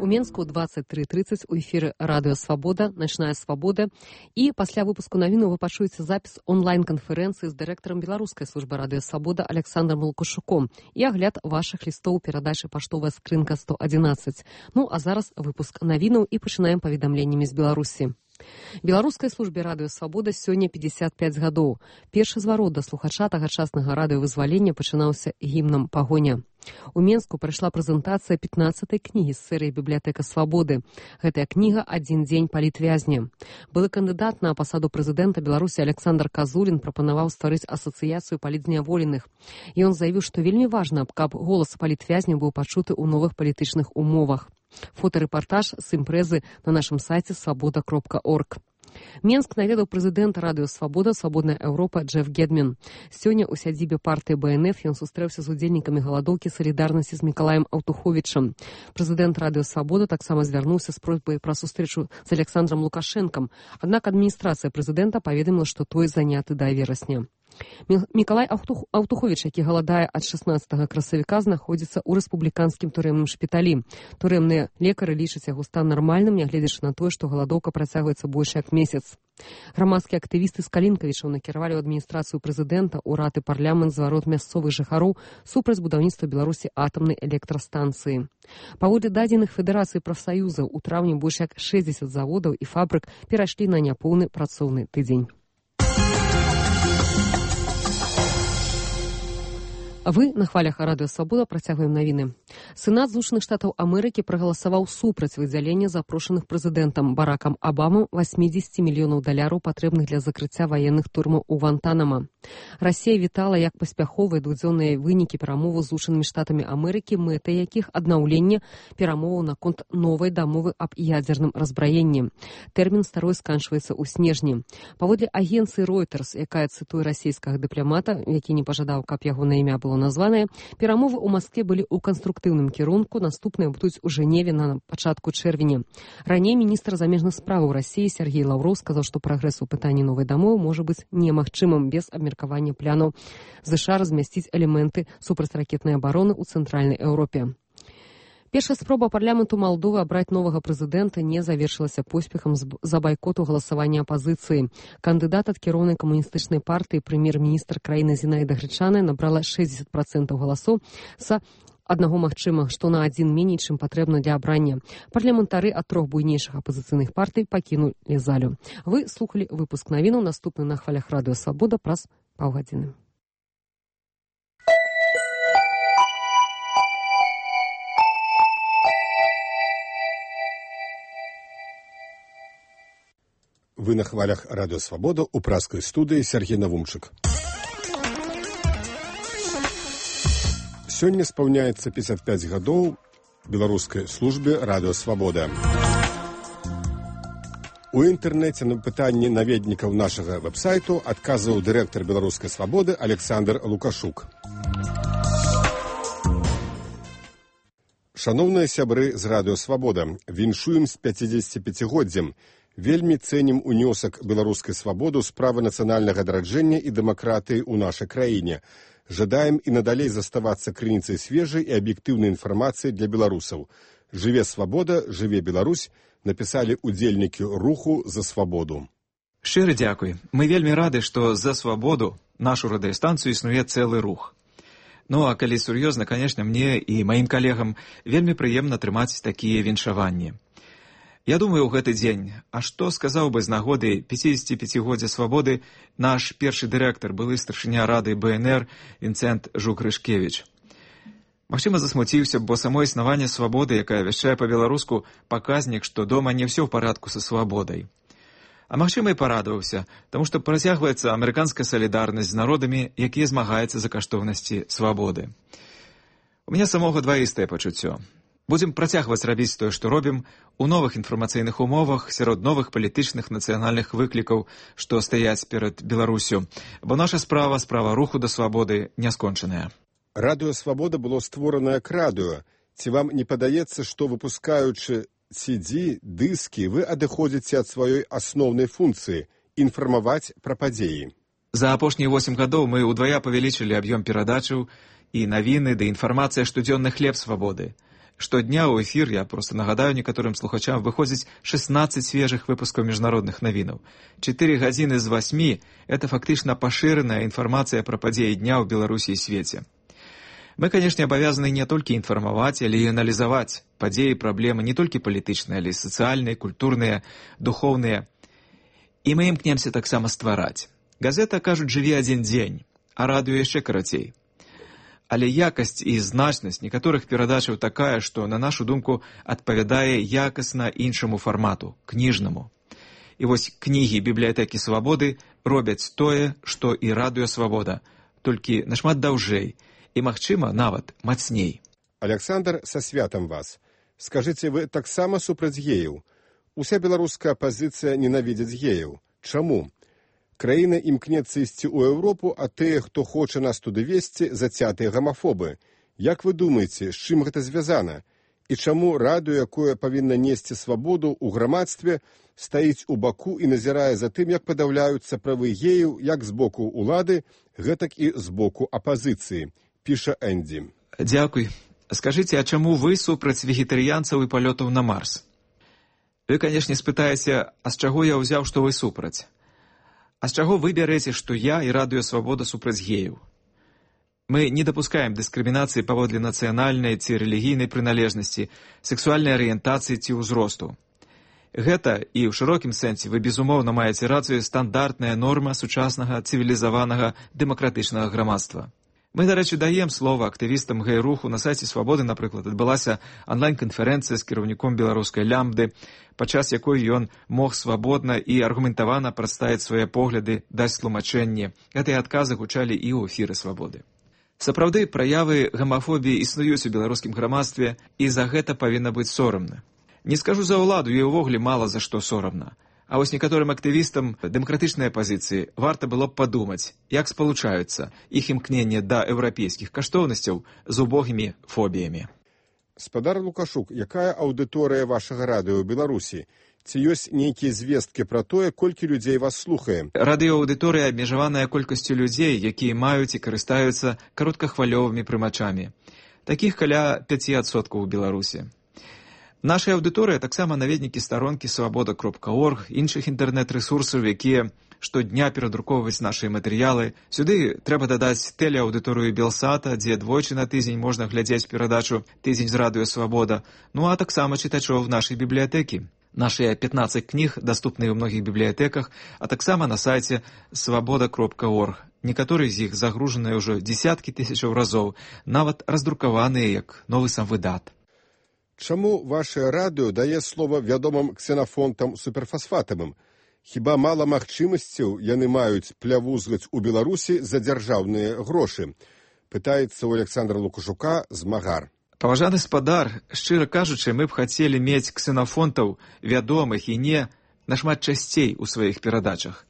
У Менску двадцать три тридцать у эфіры радыё Свабода, начная свабода. І пасля выпуску навіну вы пачуеце запіс онлайн-канферэнцыі з дырэктарам беларускай службы радыё Свабода Александром Лукашуком і агляд вашых лістоў перадачы паштовая скрынка сто адзінаццаць. Ну а зараз выпуск навінаў і пачынаем паведамленнямі з Беларусі. Беларускай службе радыё Свабода сёння пятьдесят пять гадоў. Першы зварот да слухача тагачаснага радыёвызвалення пачынаўся гімнам пагоня. У Менску прайшла прэзентацыя пятнаццатай кнігі з серыі «Бібліятэка Свабоды». Гэтая кніга «Адзін дзень палітвязня». Былы кандыдат на пасаду прэзідэнта Беларусі Александр Казулін прапанаваў стварыць асацыяцыю палітзняволеных. І ён заявіў, што вельмі важна, каб голас палітвязня быў пачуты ў новых палітычных умовах. Фотарэпартаж з імпрэзы на нашым сайце свабода кропка орг. Менск наведаў прэзідэнт радыё Свабода «Свабодная Еўропа» Джеф Гедмін. Сёння ў сядзібе партыі бэ эн эф ён сустрэўся з удзельнікамі галадоўкі салідарнасці з Мікалаем Аўтуховічам. Прэзідэнт радыё Свабода таксама звярнуўся з просьбай пра сустрэчу з Александром Лукашэнкам, аднак адміністрацыя прэзідэнта паведаміла, што той заняты да верасня. Мікалай Аўтуховіч, які галадае ад шаснаццатага красавіка, знаходзіцца ў рэспубліканскім турэмным шпіталі. Турэмныя лекары лічаць яго стан нармальным, нягледзячы на тое, што галадоўка працягваецца больш як месяц. Грамадскія актывісты з Калінкавічаў накіравалі ў адміністрацыю прэзідэнта, урад і парламент зварот мясцовых жыхароў супраць будаўніцтва Беларусі атамнай электрастанцыі. Паводле дадзеных Федэрацыі прафсаюзаў, у траўні больш як шэсцьдзесят заводаў і фабрык перайшлі на няпоўны працоўны тыдзень. Вы на хвалях радыё Свабода працягваем навіны. Сенат Злучаных Штатаў Амерыкі прагаласаваў супраць выдзялення запрошаных прэзідэнтам Баракам Абамам восемьдесят мільёнаў даляраў, патрэбных для закрыцця ваенных турмаў у Гвантанама. Расія вітала як паспяховыя двухдзённыя вынікі перамоваў з Злучанымі Штатамі Амерыкі, мэтай якіх аднаўленне перамоваў наконт новай дамовы аб ядзерным разбраенні. Тэрмін старой сканчваецца ў снежні. Паводле агенцыі Reuters, якая цытуе расійскага дыпламата, які не пажадаў, каб яго на імя было названае, перамовы ў Маскве былі ў канструктыўным кірунку, наступныя будуць у Жэневе на пачатку чэрвеня. Раней міністр замежных спраў Расіі Сергей Лаўроў сказаў, што прагрэс у пытанні новай дамовы можа быць немагчымым без абмеркавання планаў ЗША размясціць элементы супрацьракетнай абароны ў цэнтральнай Еўропе. Першая спроба парламенту Малдовы абраць новага прэзідэнта не завершылася поспехам з-за байкоту галасавання апазіцыі. Кандыдат ад кіроўнай камуністычнай партыі, прэм'ер-міністр краіны Зінаіда Грычаная, набрала шэсцьдзесят процентаў галасоў са аднаго магчыма, што на адзін меней, чым патрэбна для абрання. Парламентары ад трох буйнейшых апазіцыйных партый пакінулі залю. Вы слухалі выпуск навінаў, наступны на хвалях радыё Свабода праз паўгадзіны. Вы на хвалях радыё Свабода ў пражскай студыі Сергей Навумчык. Сёння спаўняецца пятьдесят пять гадоў беларускай службе радыё Свабода. У інтэрнэце на пытанні наведнікаў нашага вэб-сайту адказваў дырэктар беларускай Свабоды Александр Лукашук. Шаноўныя сябры з радыё Свабода, віншуем з пяцідзесяціпяцігоддзям. Вельмі цэнім унёсак беларускай Свабоды ў справы нацыянальнага адраджэння і дэмакратыі ў нашай краіне. Жадаем і надалей заставацца крыніцай свежай і аб'ектыўнай інфармацыі для беларусаў. Жыве Свабода, жыве Беларусь, напісалі удзельнікі руху за свабоду. Шчыры дзякуй. Мы вельмі рады, што за свабоду нашу радыёстанцыю існуе цэлы рух. Ну, а калі сур'ёзна, канешне, мне і маім калегам вельмі прыемна трымаць такія віншаванні. Я думаю, ў гэты дзень, а што сказаў бы з нагоды пяцідзесяціпяцігоддзя свабоды наш першы дырэктар, былы старшыня рады бэ эн эр Вінцэнт Жук-Рышкевіч. Магчыма, засмуціўся, бо само існаванне свабоды, якая вяшчае па-беларуску, паказнік, што дома не ўсё ў парадку са свабодай. А магчыма, і парадаваўся, таму што працягваецца амерыканская салідарнасць з народамі, якія змагаюцца за каштоўнасці свабоды. У мяне самога дваістае пачуццё. Будзем працягваць рабіць тое, што робім, у новых інфармацыйных умовах, сярод новых палітычных нацыянальных выклікаў, што стаяць перад Беларусю, бо наша справа, справа руху да свабоды, не скончаная. Радыё Свабода было створана як радыё. Ці вам не падаецца, што выпускаючы си ді, дыскі, вы адыходзіце ад сваёй асноўнай функцыі – інфармаваць пра падзеі? За апошнія восем гадоў мы ўдвая павялічылі аб'ём перадачаў і навіны да інфармацыя штодзённы хлеб свабоды. Штодня ў эфір, я просто нагадаю некаторым слухачам, выходзіць шестнадцать свежых выпускаў міжнародных навінаў. Чатыры гадзіны з васьмі – это фактычна пашыраная інфармацыя пра падзеі дня ў Беларусі і свеце. Мы, конечно, обязаны не только информовать, але и анализовать падзеі, проблемы не только палітычныя, але и социальные, культурные, духовные. И мы імкнемся таксама ствараць. Газета, кажуць, жыве адзін дзень, а радыё яшчэ карацей. Але якасць і значнасць некаторых перадачаў такая, што, на нашу думку, адпавядае якасна іншаму фармату, кніжнаму. І вось кнігі бібліятэкі Свабоды робяць тое, што і радыё Свабода, толькі нашмат даўжэй і, магчыма, нават мацней. Александр, са святам вас. Скажыце, вы таксама супраць геяў? Уся беларуская апазіцыя ненавідзіць геяў. Чаму? Краіна імкнецца ісці ў Еўропу, а тыя, хто хоча нас туды весці, зацятыя гамафобы. Як вы думаеце, з чым гэта звязана? І чаму радыё, якое павінна несці свабоду ў грамадстве, стаіць у баку і назірае за тым, як падаўляюцца правы геяў як з боку ўлады, гэтак і з боку апазіцыі, піша Энді. Дзякуй. Скажыце, а чаму вы супраць вегетарыянцаў і палётаў на Марс? Вы, канешне, спытаеце, а з чаго я ўзяў, што вы супраць? А з чаго вы бярэце, што я і радыё Свабода супраць геяў? Мы не дапускаем дыскрымінацыі паводле нацыянальнай ці рэлігійнай прыналежнасці, сексуальнай арыентацыі ці ўзросту. Гэта, і ў шырокім сэнсе, вы безумоўна маеце рацыю, стандартная норма сучаснага цывілізаванага дэмакратычнага грамадства. Мы, дарэчы, даем слова актывістам гэй-руху. На сайце Свабоды, напрыклад, адбылася онлайн-канферэнцыя з кіраўніком беларускай лямбды, падчас якой ён мог свабодна і аргументавана прадставіць свае погляды, даць тлумачэнне. Гэтыя адказы гучалі і ў эфіры Свабоды. Сапраўды, праявы гамафобіі існуюць у беларускім грамадстве, і за гэта павінна быць сорамна. Не скажу за ўладу, ёй увогуле мала за што сорамна. А вось некаторым актывістам дэмакратычнай апазіцыі варта было б падумаць, як спалучаюцца іх імкненне да еўрапейскіх каштоўнасцяў з убогімі фобіямі. Спадар Лукашук, якая аўдыторыя вашага радыё ў Беларусі? Ці ёсць нейкія звесткі пра тое, колькі людзей вас слухае? Радыёаўдыторыя абмежаваная колькасцю людзей, якія маюць і карыстаюцца кароткахвалёвымі прымачамі. Такіх каля пяць адсоткаў у Беларусі. Наша аўдыторыя таксама наведнікі старонкі свабода кропка орг, іншых інтэрнэт-рэсурсаў, якія штодня перадрукоўваюць нашыя матэрыялы. Сюды трэба дадаць тэлеаўдыторыю Белсата, дзе двойчы на тыдзень можна глядзець перадачу «Тыдзень з радыё Свабода», ну а таксама чытачоў нашай бібліятэкі. Нашыя пятнаццаць кніг даступныя ў многіх бібліятэках, а таксама на сайце свабода кропка орг. Некаторыя з іх загружаныя ўжо дзесяткі тысячаў разоў, нават раздрукаваныя як новы самвыдат. Чаму ваше радыё дае слова вядомым ксенафонтам суперфасфатавым? Хіба мала магчымасцяў яны маюць плявузгаць у Беларусі за дзяржаўныя грошы? Пытаецца у Александра Лукашука змагар. Паважаны спадар, шчыра кажучы, мы б хацелі мець ксенафонтаў вядомых і не нашмат часцей у сваіх перадачах,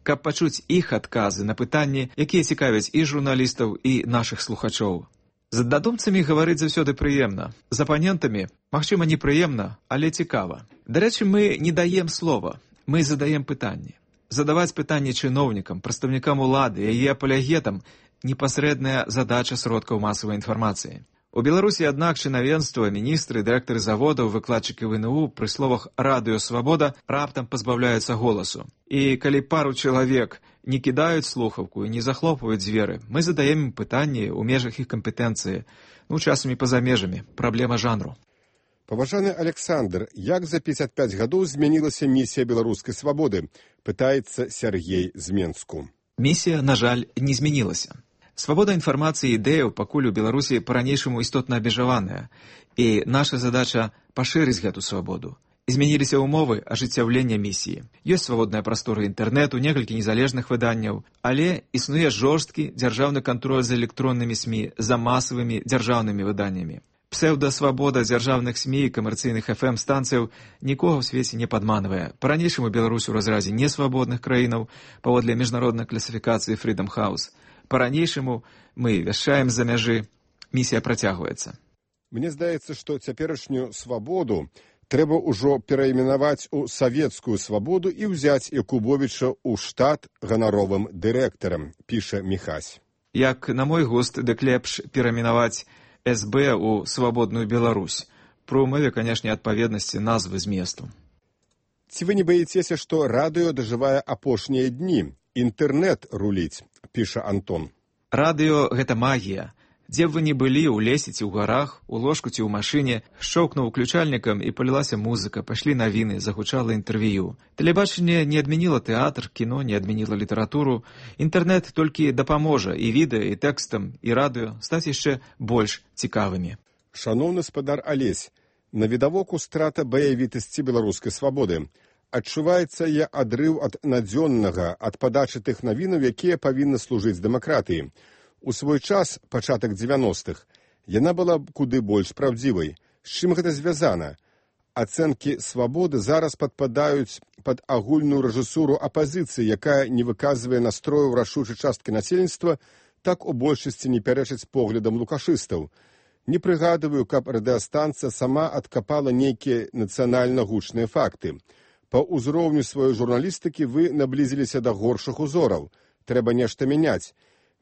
каб пачуць іх адказы на пытанні, якія цікавяць і журналістаў, і нашых слухачоў. З аднадумцамі гаварыць заўсёды прыемна. З апанентамі, магчыма, непрыемна, але цікава. Дарэчы, мы не даем слова, мы задаем пытанні. Задаваць пытанні чыноўнікам, прадстаўнікам улады, яе апалягетам – непасрэдная задача сродкаў масавай інфармацыі. У Беларусі, аднак, чынавенства, міністры, дырэктары заводаў, выкладчыкі вэ эн у пры словах «Радыё Свабода» раптам пазбаўляюцца голасу. І калі пару чалавек не кідаюць слухаўку і не захлопваюць дзверы, мы задаем ім пытанні ў межах іх кампетэнцыі, ну, часамі па-за межамі, праблема жанру. Паважаны Александр, як за пятьдесят пять гадоў змянілася місія беларускай свабоды? Пытаецца Сергей з Менску. Місія, на жаль, не змянілася. Свабода інфармацыі і ідэяў пакуль у Беларусі па-ранейшаму істотна абмежаваная, і наша задача пашырыць гэту свабоду. Змяніліся ўмовы ажыццяўлення місіі. Ёсць свабодная прастора інтэрнэту, некалькі незалежных выданняў, але існуе жорсткі дзяржаўны кантроль за электроннымі СМІ, за масавымі дзяржаўнымі выданнямі. Псеўдасвабода дзяржаўных СМІ і камерцыйных эф эм-станцыяў нікога ў свеце не падманвае. Па-ранейшаму Беларусь у разразе несвабодных краінаў паводле міжнароднай класіфікацыі Freedom House. Па-ранейшаму мы вяшчаем з-за мяжы. Місія працягваецца. Мне здаецца, што цяперашнюю свабоду трэба ўжо перайменаваць у савецкую свабоду і ўзяць Якубовіча ў штат ганаровым дырэктарам, піша Міхась. Як на мой густ, дык лепш перайменаваць эс бэ ў свабодную Беларусь. Пры ўмове, канешне, адпаведнасці назвы зместу. Ці вы не баіцеся, што радыё дажывае апошнія дні? Інтэрнэт руліць, піша Антон. Радыё – гэта магія. Дзе б вы не былі, у лесе ці ў гарах, у ложку ці ў машыне, шчоўкнуў уключальнікам і палілася музыка, пашлі навіны, загучала інтэрв'ю. Тэлебачанне не адмяніла тэатр, кіно не адмяніла літаратуру. Інтэрнэт толькі дапаможа і відэа, і тэкстам, і радыё стаць яшчэ больш цікавымі. Шаноўны спадар Алесь, на відавоку страта баявітасці беларускай свабоды. Адчуваецца я адрыў ад надзённага, ад падачы тых навінаў, якія павінны служыць дэмакратыі. У свой час, пачатак дзевяностых, яна была куды больш праўдзівай. З чым гэта звязана? Ацэнкі свабоды зараз падпадаюць пад агульную рэжысуру апазіцыі, якая не выказвае настрою рашучай часткі насельніцтва, так у большасці не пярэчыць поглядам лукашыстаў. Не прыгадываю, каб радыёстанцыя сама адкапала нейкія нацыянальна гучныя факты. Па ўзроўню сваёй журналістыкі вы наблізіліся да горшых узораў. Трэба нешта мяняць.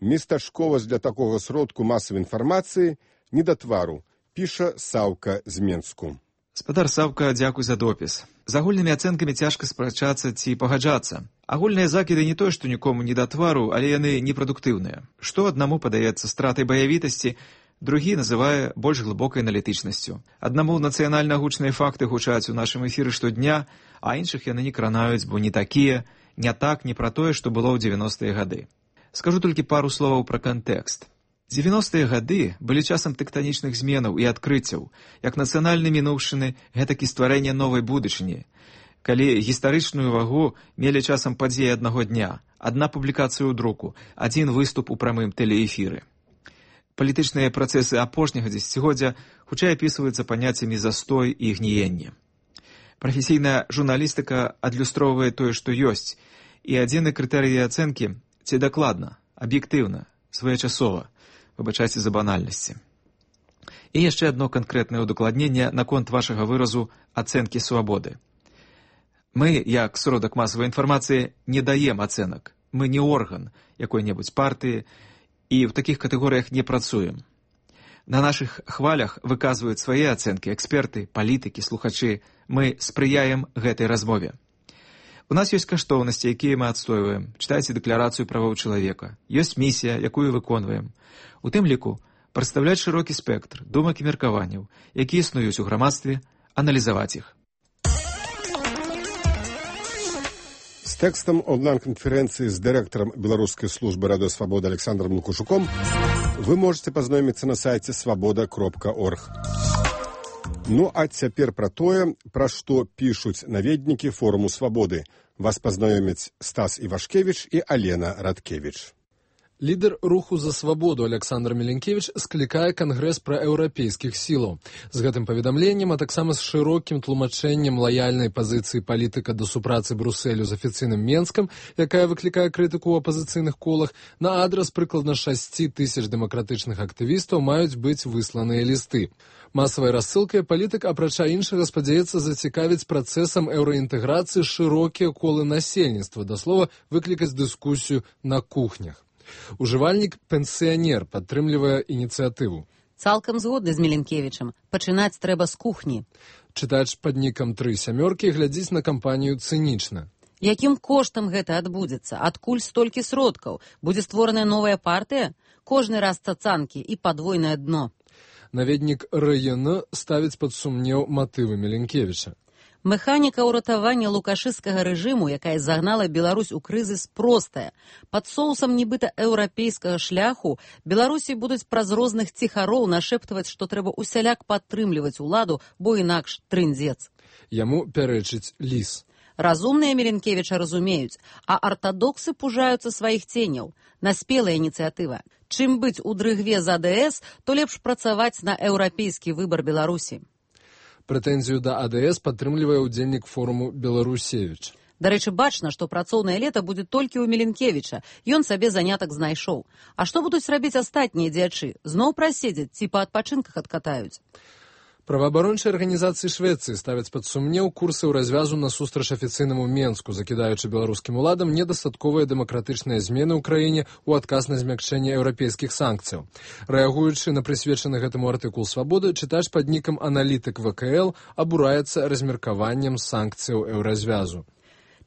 Местачковасць для такога сродку масавай інфармацыі не да твару, піша Саўка з Менску. Спадар Саўка, дзякуй за допіс. З агульнымі ацэнкамі цяжка спрачацца ці пагаджацца. Агульныя закіды не тое, што нікому не да твару, але яны непрадуктыўныя. Што аднаму падаецца стратай баявітасці, другі называе больш глыбокай аналітычнасцю. Аднаму нацыянальна гучныя факты гучаць у нашым эфіры штодня, а іншых яны не кранаюць, бо не такія, не так, не пра тое, што было ў дзевяностыя гады. Скажу толькі пару словаў пра кантэкст. дзевяностыя гады былі часам тэктанічных зменаў і адкрыццяў, як нацыянальнай мінуўшчыны, гэтак і стварэння новай будучыні. Калі гістарычную вагу мелі часам падзеі аднаго дня, адна публікацыя ў друку, адзін выступ у прамым тэлеэфіры. Палітычныя працэсы апошняга дзесяцігоддзя хутчэй апісваюцца паняццямі застой і гніенне. Прафесійная журналістыка адлюстроўвае тое, што ёсць, і адзіны крытэрый ацэнкі – ці дакладна, аб'ектыўна, своечасова, выбачайце за банальнасці. І яшчэ адно канкрэтнае ўдакладненне наконт вашага выразу ацэнкі свабоды. Мы, як сродак масавай інфармацыі, не даем ацэнак. Мы не орган якой-небудзь партыі і ў такіх катэгорыях не працуем. На нашых хвалях выказваюць свае ацэнкі эксперты, палітыкі, слухачы. Мы спрыяем гэтай размове. У нас ёсць каштоўнасці, якія мы адстойваем. Чытайце дэкларацыю правоў чалавека. Ёсць місія, якую выконваем. У тым ліку прадстаўляць шырокі спектр думак і меркаванняў, якія існуюць у грамадстве, аналізаваць іх. З тэкстам онлайн-канферэнцыі з дырэктарам беларускай службы радыёсвабоды Александром Лукашуком вы можете пазнаёміцца на сайце свабода кропка орг. Ну, а цяпер пра тое, пра што пішуць наведнікі форуму свабоды. Вас пазнаёмяць Стас Івашкевіч і Алена Радкевіч. Лідер руху за свабоду Александр Меленкевич склікае кангрэс пра еўрапейскіх сілаў. З гэтым паведамленнем, а таксама з шырокім тлумачэннем лаяльнай пазіцыі палітыка да супрацы Брусэлю з афіцыйным Менскам, якая выклікае крытыку ў апазіцыйных колах, на адрас прыкладна шасці тысяч дэмакратычных актывістаў маюць быць высланыя лісты. Масавай рассылкай палітык, апрача іншага, спадзяецца зацікавіць працэсам еўраінтэграцыі шырокія колы насельніцтва, да слова, выклікаць дыскусію на кухнях. Ужывальнік пенсіянер падтрымлівае ініцыятыву. Цалкам згодны з Меленкевічам. Пачынаць трэба з кухні. Чытач пад нікам тры сямёркі глядзіць на кампанію цынічна. Якім коштам гэта адбудзецца? Адкуль столькі сродкаў? Будзе створаная новая партыя? Кожны раз цацанкі і падвойнае дно. Наведнік РН ставіць пад сумнеў матывы Меленкевіча. Механіка ўратавання лукашысцкага рэжыму, якая загнала Беларусь у крызіс, простая. Пад соусам нібыта еўрапейскага шляху Беларусі будуць праз розных ціхароў нашэптваць, што трэба усяляк падтрымліваць уладу, бо інакш трындзец. Яму пярэчыць ліс. Разумныя Меленкевіча разумеюць, а артадоксы пужаюцца сваіх ценяў. Наспелая ініцыятыва. Чым быць у дрыгве за АДС, то лепш працаваць на еўрапейскі выбар Беларусі. Прэтэнзію да АДС падтрымлівае ўдзельнік форуму Беларусевіч. Дарэчы, бачна, што працоўнае лета будзе толькі ў Меленкевіча. Ён сабе занятак знайшоў. А што будуць рабіць астатнія дзячы? Зноў праседзяць ці па адпачынках адкатаюць? Праваабарончыя арганізацыі Швецыі ставяць пад сумнеў курсы ў развязу насустрач афіцыйнаму Менску, закідаючы беларускім уладам недастатковыя дэмакратычныя змены ў краіне ў адказ на змякчэнне еўрапейскіх санкцыяў. Рэагуючы на прысвечаны гэтаму артыкул «Свабоды», чытач пад нікам аналітык вэ ка эл абураецца размеркаваннем санкцыяў еўразвязу.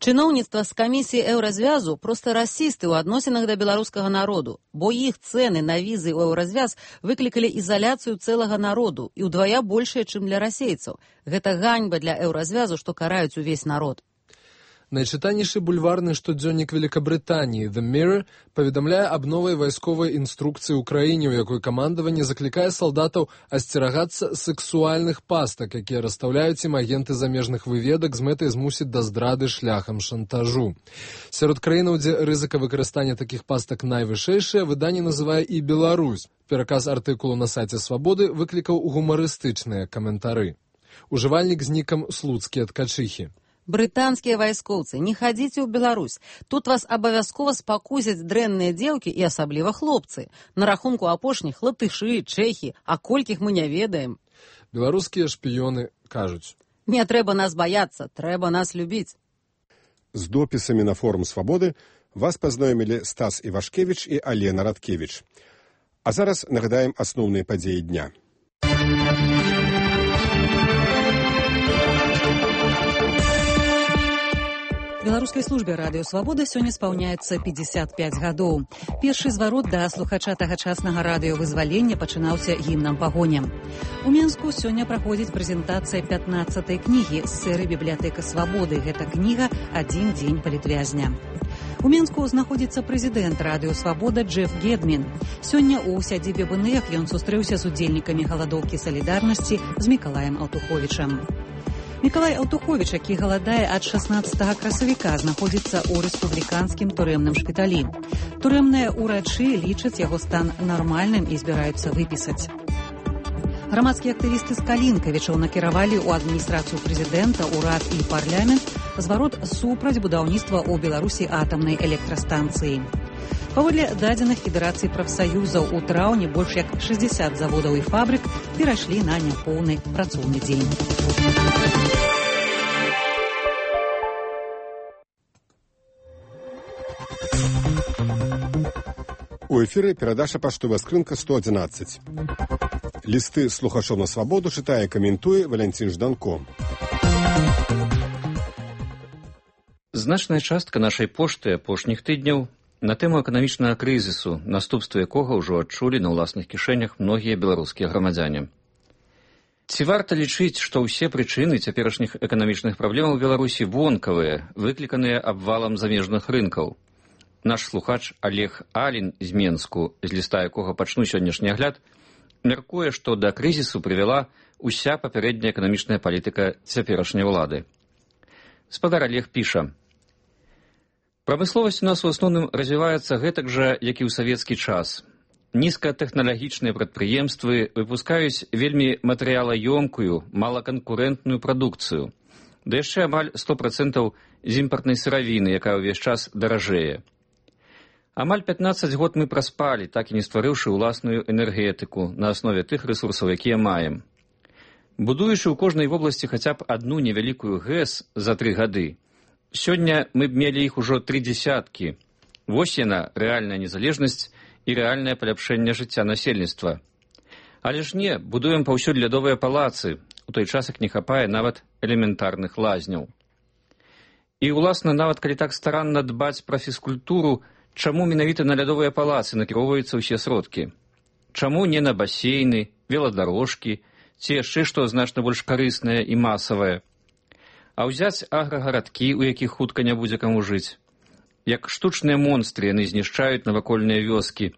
Чыноўніцтва з камісіі еўразвязу проста расісты ў адносінах да беларускага народу, бо іх цэны на візы ў еўразвяз выклікалі ізаляцыю цэлага народу і ўдвая большая, чым для расейцаў. Гэта ганьба для еўразвязу, што караюць увесь народ. Найчытанейшы бульварны штодзённік Великабрытаніі «The Mirror» паведамляе аб новай вайсковай інструкцыі ў краіне, у якой камандаванне заклікае салдатаў асцерагацца сексуальных пастак, якія расстаўляюць ім агенты замежных выведак з мэтай змусіць да здрады шляхам шантажу. Сярод краінаў, дзе рызыка выкарыстання такіх пастак найвышэйшая, выданне называе і Беларусь. Пераказ артыкулу на сайце «Свабоды» выклікаў гумарыстычныя каментары. Ужывальнік з нікам «Слуцкія ткачыхі». Брытанскія вайскоўцы, не хадзіце ў Беларусь. Тут вас абавязкова спакусяць дрэнныя дзеўкі і асабліва хлопцы. На рахунку апошніх латышы, чэхі, а колькіх мы не ведаем. Беларускія шпіёны кажуць: не трэба нас баяцца, трэба нас любіць. З допісамі на форум «Свабоды» вас пазнаёмілі Стас Івашкевіч і Алена Радкевіч. А зараз нагадаем асноўныя падзеі дня. Беларускай службе радыё «Свабода» сёння спаўняецца пятьдесят пять гадоў. Першы зварот да слухача тагачаснага радыёвызвалення пачынаўся гімнам пагоням. У Менску сёння праходзіць прэзентацыя пятнаццатай кнігі з серыі «Бібліятэка свабоды». Гэта кніга «Адзін дзень палітвязня». У Менску знаходзіцца прэзідэнт радыё «Свабода» Джеф Гедмін. Сёння ў сядзібе БНФ ён сустрэўся з удзельнікамі галадоўкі салідарнасці з Мікалаем Аўтуховічам. Мікалай Аўтуховіч, які галадае ад шаснаццатага красавіка, знаходзіцца ў рэспубліканскім турэмным шпіталі. Турэмныя ўрачы лічаць яго стан нармальным і збіраюцца выпісаць. Грамадскія актывісты з Калінкавічаў накіравалі ў адміністрацыю прэзідэнта, урад і парламент зварот супраць будаўніцтва ў Беларусі атамнай электрастанцыі. Паводле дадзеных Федэрацыі прафсаюзаў, у траўні больш як шэсцьдзесят заводаў і фабрык перайшлі на няпоўны працоўны дзень. У эфіры перадача «Паштовая скрынка» сто адзінаццаць. Лісты слухачоў на «Свабоду» чытае, каментуе Валянцін Жданко. Значная частка нашай пошты апошніх тыдняў на тэму эканамічнага крызісу, наступствы якога ўжо адчулі на ўласных кішэнях многія беларускія грамадзяне. Ці варта лічыць, што ўсе прычыны цяперашніх эканамічных праблемаў у Беларусі вонкавыя, выкліканыя абвалам замежных рынкаў? Наш слухач Олег Алін з Менску, з ліста якога пачну сённяшні агляд, мяркуе, што да крызісу прывяла уся папярэдняя эканамічная палітыка цяперашняй улады. Спадар Олег піша: прамысловасць у нас у асноўным развіваецца гэтак жа, як і ў савецкі час. Нізкатэхналагічныя прадпрыемствы выпускаюць вельмі матэрыялаёмкую, малаканкурэнтную прадукцыю, да яшчэ амаль сто процентаў з імпартнай сыравіны, якая ўвесь час даражэе. Амаль пятнаццаць год мы праспалі, так і не стварыўшы ўласную энергетыку на аснове тых рэсурсаў, якія маем. Будуючы ў кожнай вобласці хаця б адну невялікую ГЭС за тры гады, сёння мы б мелі іх ужо тры дзесяткі. Вось яна, рэальная незалежнасць і рэальнае паляпшэнне жыцця насельніцтва. Але ж не, будуем паўсюль лядовыя палацы, у той час як не хапае нават элементарных лазняў. І, уласна, нават калі так старанна дбаць пра фізкультуру, чаму менавіта на лядовыя палацы накіроўваюцца ўсе сродкі? Чаму не на басейны, веладарожкі, ці яшчэ што значна больш карыснае і масавае? А ўзяць аграгарадкі, у якіх хутка не будзе каму жыць. Як штучныя монстры яны знішчаюць навакольныя вёскі,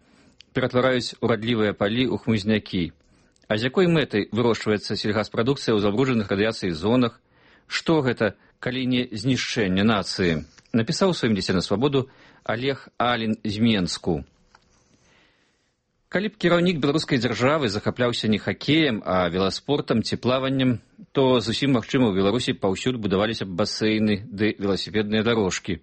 ператвараюць урадлівыя палі ў хмызнякі. А з якой мэтай вырошчваецца сельгаспрадукцыя ў забруджаных радыяцыяй зонах? Што гэта, калі не знішчэнне нацыі? Напісаў у сваім лісце на «Свабоду» Олег Алін з Менску. Калі б кіраўнік беларускай дзяржавы захапляўся не хакеем, а веласпортам ці плаваннем, то зусім магчыма ў Беларусі паўсюль будаваліся б басейны ды веласіпедныя дарожкі.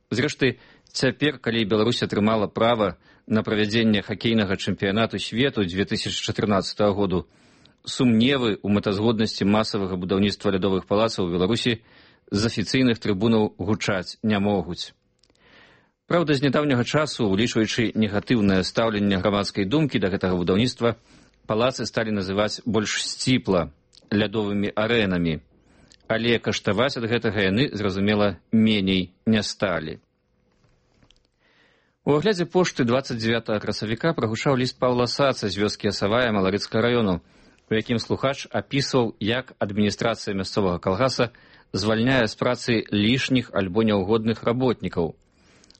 Зрэшты, цяпер, калі Беларусь атрымала права на правядзенне хакейнага чэмпіянату свету дзве тысячы чатырнаццатага году, сумневы ў мэтазгоднасці масавага будаўніцтва лядовых палацаў у Беларусі з афіцыйных трыбунаў гучаць не могуць. Праўда, з нядаўняга часу, улічваючы негатыўнае стаўленне грамадскай думкі да гэтага будаўніцтва, палацы сталі называць больш сціпла лядовымі арэнамі, але каштаваць ад гэтага яны, зразумела, меней не сталі. У аглядзе пошты дваццаць дзевятага красавіка прагучаў ліст Паўла Саца з вёскі Асавая Маларыцкага раёну, у якім слухач апісваў, як адміністрацыя мясцовага калгаса звальняе з працы лішніх альбо няўгодных работнікаў.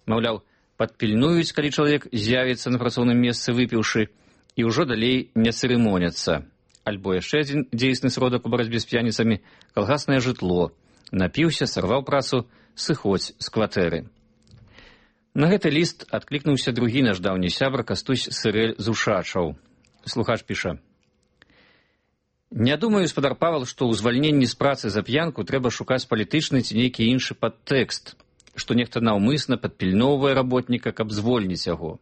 Маўляў, падпільнуюць, калі чалавек з'явіцца на працоўным месцы выпіўшы, і ўжо далей не цырымоняцца. Альбо яшчэ адзін дзейсны сродак у барацьбе з п'яніцамі – калгаснае жытло. Напіўся, сарваў працу, сыходзь з кватэры. На гэты ліст адклікнуўся другі наш даўні сябра Кастусь Сырэль з Ушачаў. Слухач піша: «Не думаю, спадар Павел, што ў звальненні з працы за п'янку трэба шукаць палітычны ці нейкі іншы падтэкст, што нехта наўмысна падпільноўвае работніка, каб звольніць яго.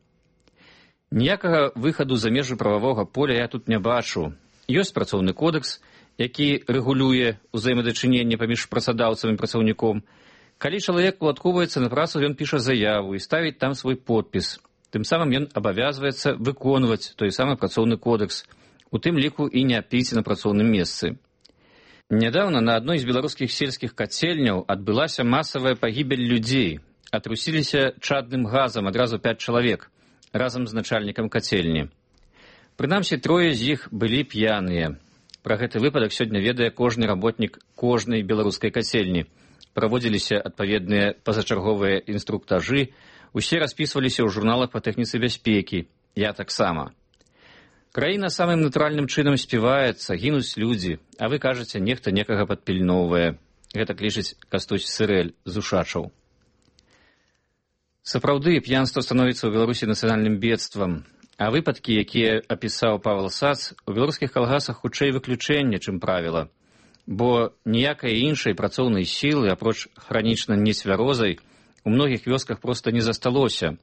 Ніякага выхаду за межы прававога поля я тут не бачу. Ёсць працоўны кодэкс, які рэгулюе ўзаемадачыненне паміж працадаўцам і працаўніком. Калі чалавек уладкоўваецца на працу, ён піша заяву і ставіць там свой подпіс. Тым самым ён абавязваецца выконваць той самы працоўны кодэкс, у тым ліку і не піць на працоўным месцы. Нядаўна на адной з беларускіх сельскіх кацельняў адбылася масавая пагібель людзей. Атрусіліся чадным газам адразу пяць чалавек, разам з начальнікам кацельні. Прынамсі, трое з іх былі п'яныя. Пра гэты выпадак сёння ведае кожны работнік кожнай беларускай кацельні. Праводзіліся адпаведныя пазачарговыя інструктажы, усе распісваліся ў журналах па тэхніцы бяспекі. Я таксама. Краіна самым натуральным чынам співаецца, гінуць людзі, а вы кажаце, нехта некага падпільноўвае. Гэта лічыць Кастусь Сырэль з Ушачаў. Сапраўды, п'янства становіцца ў Беларусі нацыянальным бедствам, а выпадкі, якія апісаў Павел Сац, у беларускіх калгасах хутчэй выключэнне, чым правіла, бо ніякай іншай працоўнай сілы, апроч хранічна нецвярозай, у многіх вёсках проста не засталося.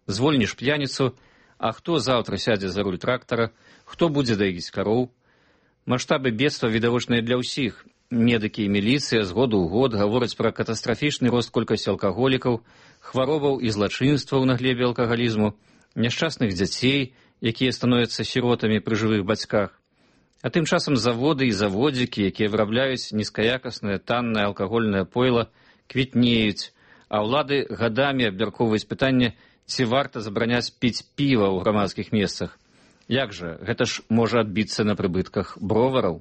Звольніш п'яніцу, а хто заўтра сядзе за руль трактара, хто будзе даіць кароў? Маштабы бедства відавочныя для ўсіх. Медыкі і міліцыя з году ў год гавораць пра катастрафічны рост колькасці алкаголікаў, хваробаў і злачынстваў на глебе алкагалізму, няшчасных дзяцей, якія становяцца сіротамі пры жывых бацьках. А тым часам заводы і заводзікі, якія вырабляюць нізкаякаснае таннае алкагольнае пойла, квітнеюць, а ўлады гадамі абмяркоўваюць пытанне, ці варта забараняць піць піва ў грамадскіх месцах. Як жа, гэта ж можа адбіцца на прыбытках бровараў.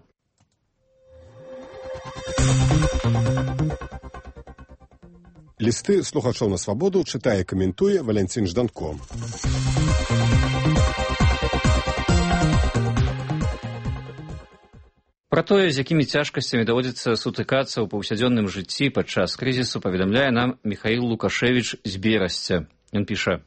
Лісты слухачоў на свабоду чытае і каментуе Валянцін Жданко. Пра тое, з якімі цяжкасцямі даводзіцца сутыкацца ў паўсядзённым жыцці падчас крызісу, паведамляе нам Міхаіл Лукашевіч з Берасця. Ён піша: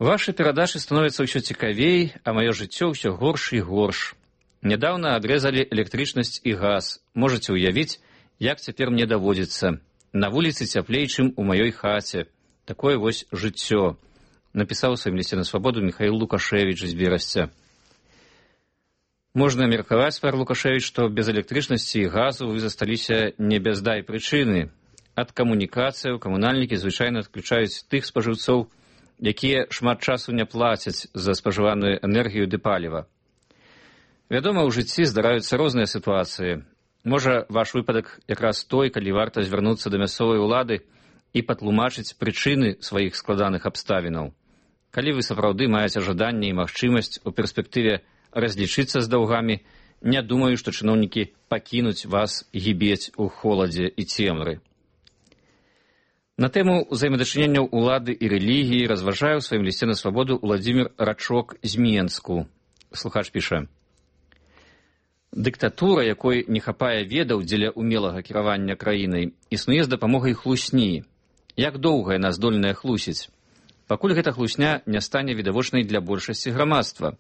«Вашы перадачы становяцца ўсё цікавей, а маё жыццё ўсё горш і горш. Нядаўна адрэзалі электрычнасць і газ. Можаце ўявіць, як цяпер мне даводзіцца. На вуліцы цяплей, чым у маёй хаце. Такое вось жыццё», напісаў у сваім лісце на свабоду Міхаіл Лукашевіч з Берасця. Можна меркаваць, пар Лукашевіч, што без электрычнасці і газу вы засталіся не без дай прычыны. Ад камунікацыяў камунальнікі звычайна адключаюць тых спажыўцоў, якія шмат часу не плацяць за спажываную энергію ды паліва. Вядома, у жыцці здараюцца розныя сітуацыі. Можа, ваш выпадак якраз той, калі варта звярнуцца да мясцовай улады і патлумачыць прычыны сваіх складаных абставінаў. Калі вы сапраўды маеце жаданне і магчымасць у перспектыве разлічыцца з даўгамі, не думаю, што чыноўнікі пакінуць вас гібець у холадзе і цемры. На тэму ўзаемадачыненняў улады і рэлігіі разважае ў сваім лісце на свабоду Уладзімір Рачок з Менску. Слухач піша: «Дыктатура, якой не хапае ведаў дзеля умелага кіравання краінай, існуе з дапамогай хлусні. Як доўга яна здольная хлусіць? Пакуль гэта хлусня не стане відавочнай для большасці грамадства.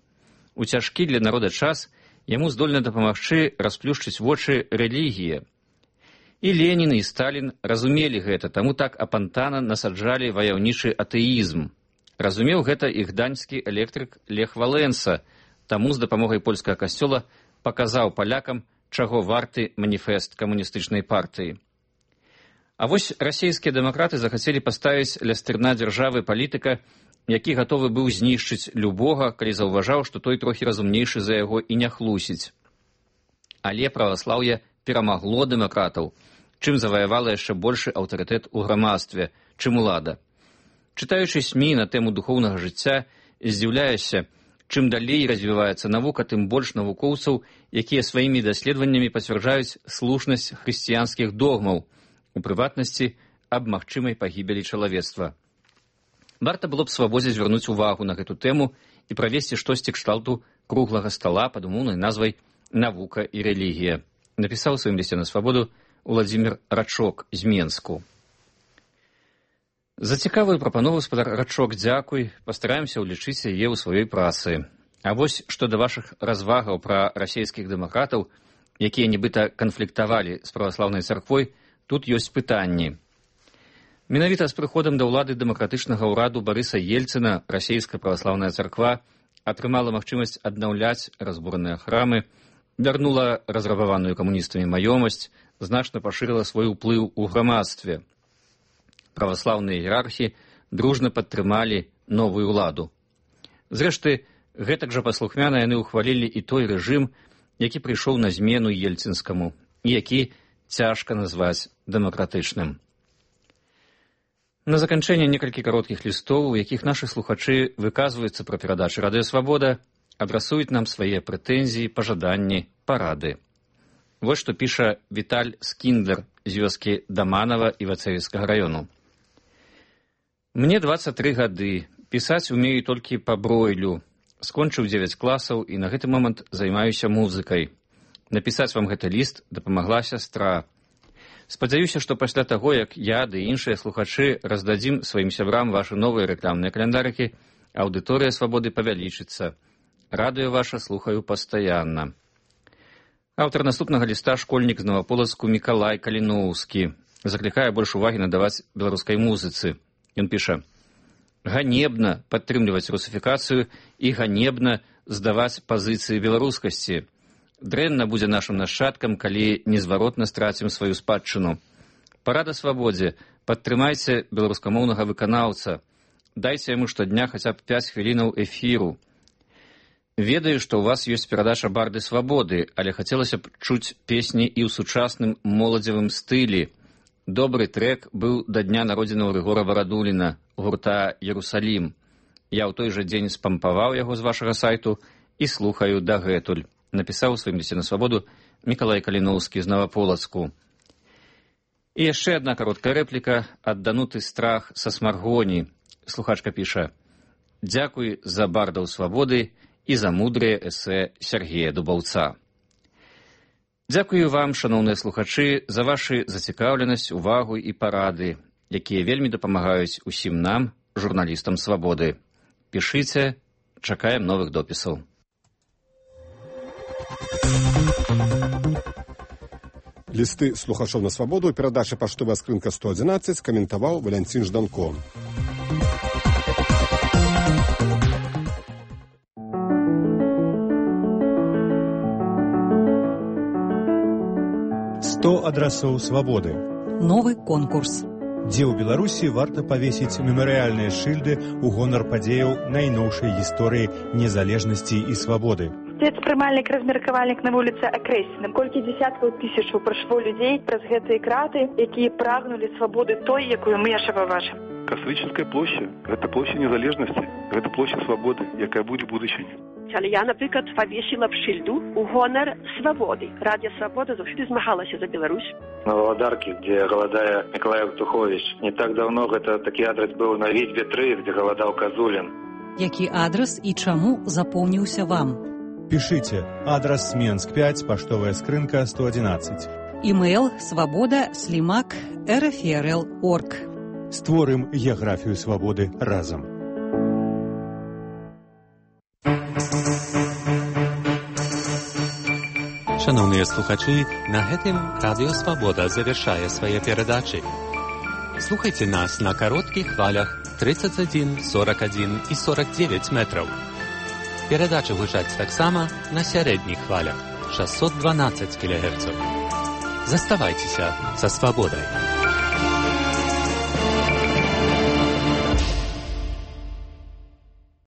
У цяжкі для народа час яму здольна дапамагчы расплюшчыць вочы рэлігія. І Ленін, і Сталін разумелі гэта, таму так апантана насаджалі ваяўнічы атэізм. Разумеў гэта і гданьскі электрык Лех Валенса, Таму з дапамогай польскага касцёла паказаў палякам, чаго варты маніфест камуністычнай партыі. А вось расійскія дэмакраты захацелі паставіць ля стырна дзяржавы палітыка, які гатовы быў знішчыць любога, калі заўважаў, што той трохі разумнейшы за яго і не хлусіць. Але праваслаўе перамагло дэмакратаў, чым заваявала яшчэ большы аўтарытэт у грамадстве, чым улада. Чытаючы СМІ на тэму духоўнага жыцця, здзіўляешся, чым далей развіваецца навука, тым больш навукоўцаў, якія сваімі даследаваннямі пацвярджаюць слушнасць хрысціянскіх догмаў, у прыватнасці аб магчымай пагібелі чалавецтва. Варта было б свабодзе звярнуць увагу на гэту тэму і правесці штосьці кшталту круглага стала пад умоўнай назвай «Навука і рэлігія», напісаў у сваім лісце на свабоду Уладзімір Рачок з Менску. За цікавую прапанову, спадар Рачок, дзякуй, пастараемся ўлічыць яе ў сваёй працы. А вось што да вашых развагаў пра расійскіх дэмакратаў, якія нібыта канфліктавалі з праваслаўнай царквой, тут ёсць пытанні. Менавіта з прыходам да ўлады дэмакратычнага ўраду Барыса Ельцына расійская праваслаўная царква атрымала магчымасць аднаўляць разбураныя храмы, вярнула разрабаваную камуністамі маёмасць, значна пашырыла свой уплыў у грамадстве. Праваслаўныя іерархі дружна падтрымалі новую ўладу. Зрэшты, гэтак жа паслухмяна яны ўхвалілі і той рэжым, які прыйшоў на змену ельцынскаму, і які цяжка назваць дэмакратычным. На заканчэнне некалькі кароткіх лістоў, у якіх нашы слухачы выказваюцца пра перадачы Радыё Свабода, адрасуюць нам свае прэтэнзіі, пажаданні, парады. Вось што піша Віталь Скіндлер з вёскі Даманава Івацевіцкага раёну. Мне дваццаць тры гады, пісаць умею толькі па бройлю. Скончыў дзевяць класаў і на гэты момант займаюся музыкай. Напісаць вам гэты ліст дапамагла сястра. Спадзяюся, што пасля таго, як я ды іншыя слухачы раздадзім сваім сябрам вашы новыя рэкламныя каляндарыкі, аўдыторыя Свабоды павялічыцца. Радыё ваша слухаю пастаянна. Аўтар наступнага ліста школьнік з Новаполацку Мікалай Каліноўскі заклікае больш увагі надаваць беларускай музыцы. Ён піша: «Ганебна падтрымліваць русіфікацыю і ганебна здаваць пазіцыі беларускасці. Дрэнна будзе нашым нашчадкам, калі незваротна страцім сваю спадчыну. Парада Свабодзе, падтрымайце беларускамоўнага выканаўца. Дайце яму штодня хаця б пяць хвілінаў эфіру. Ведаю, што ў вас ёсць перадача «Барды Свабоды», але хацелася б чуць песні і ў сучасным моладзевым стылі. Добры трэк быў да дня народзінаў Рыгора Варадуліна, гурта «Ерусалім». Я ў той жа дзень спампаваў яго з вашага сайту і слухаю дагэтуль. Напісаў у сваім лісце на Свабоду Мікалай Каліноўскі з Новаполацку. І яшчэ адна кароткая рэпліка ад Дануты Страх са Смаргоні. Слухачка піша: «Дзякуй за бардаў Свабоды і за мудрыя эсэ Сергея Дубаўца». Дзякую вам, шаноўныя слухачы, за вашы зацікаўленасць, увагу і парады, якія вельмі дапамагаюць усім нам, журналістам Свабоды. Пішыце, чакаем новых допісаў. Лісты слухачоў на Свабоду, перадача паштовая скрынка сто адзінаццаць, каментаваў Валянцін Жданко. сто адрасоў свабоды. Новы конкурс. Дзе ў Беларусі варта павесіць мемарыяльныя шыльды ў гонар падзеяў найноўшай гісторыі незалежнасці і свабоды. Спецпрымальнік, размеркавальнік на вуліцы Акрэсіна. Колькі дзесяткаў тысячаў прайшло людзей праз гэтыя краты, якія прагнулі свабоды той, якую мы яшчэ пабачым. Касавічынская площа – гэта площа незалежнасці, гэта площа свабоды, якая будзе будучыня. Але я, наприклад, повісила б шильду у гонор свободы. Радіо Свобода завжди змагалася за Беларусь. На Володарке, где голодая Николай Тухович. Не так давно это такой адрес был на Витьбе три, где голодал Козулин. Які адрес і чаму запомніўся вам? Пишите. Адрес Менск пять, поштовая скрынка сто одиннадцать. Имейл свобода слимак рфрл точка орг. Створым геаграфію свабоды разам. Шановныя слухачы, на гэтым Радыё Свабода завяршае свае перадачы. Слухайце нас на кароткіх хвалях тридцать один, сорок один і сорок девять метров. Перадача гучаць таксама на сярэдніх хвалях шэсцьсот дванаццаць кілагерцаў. Заставайцеся са свабодай.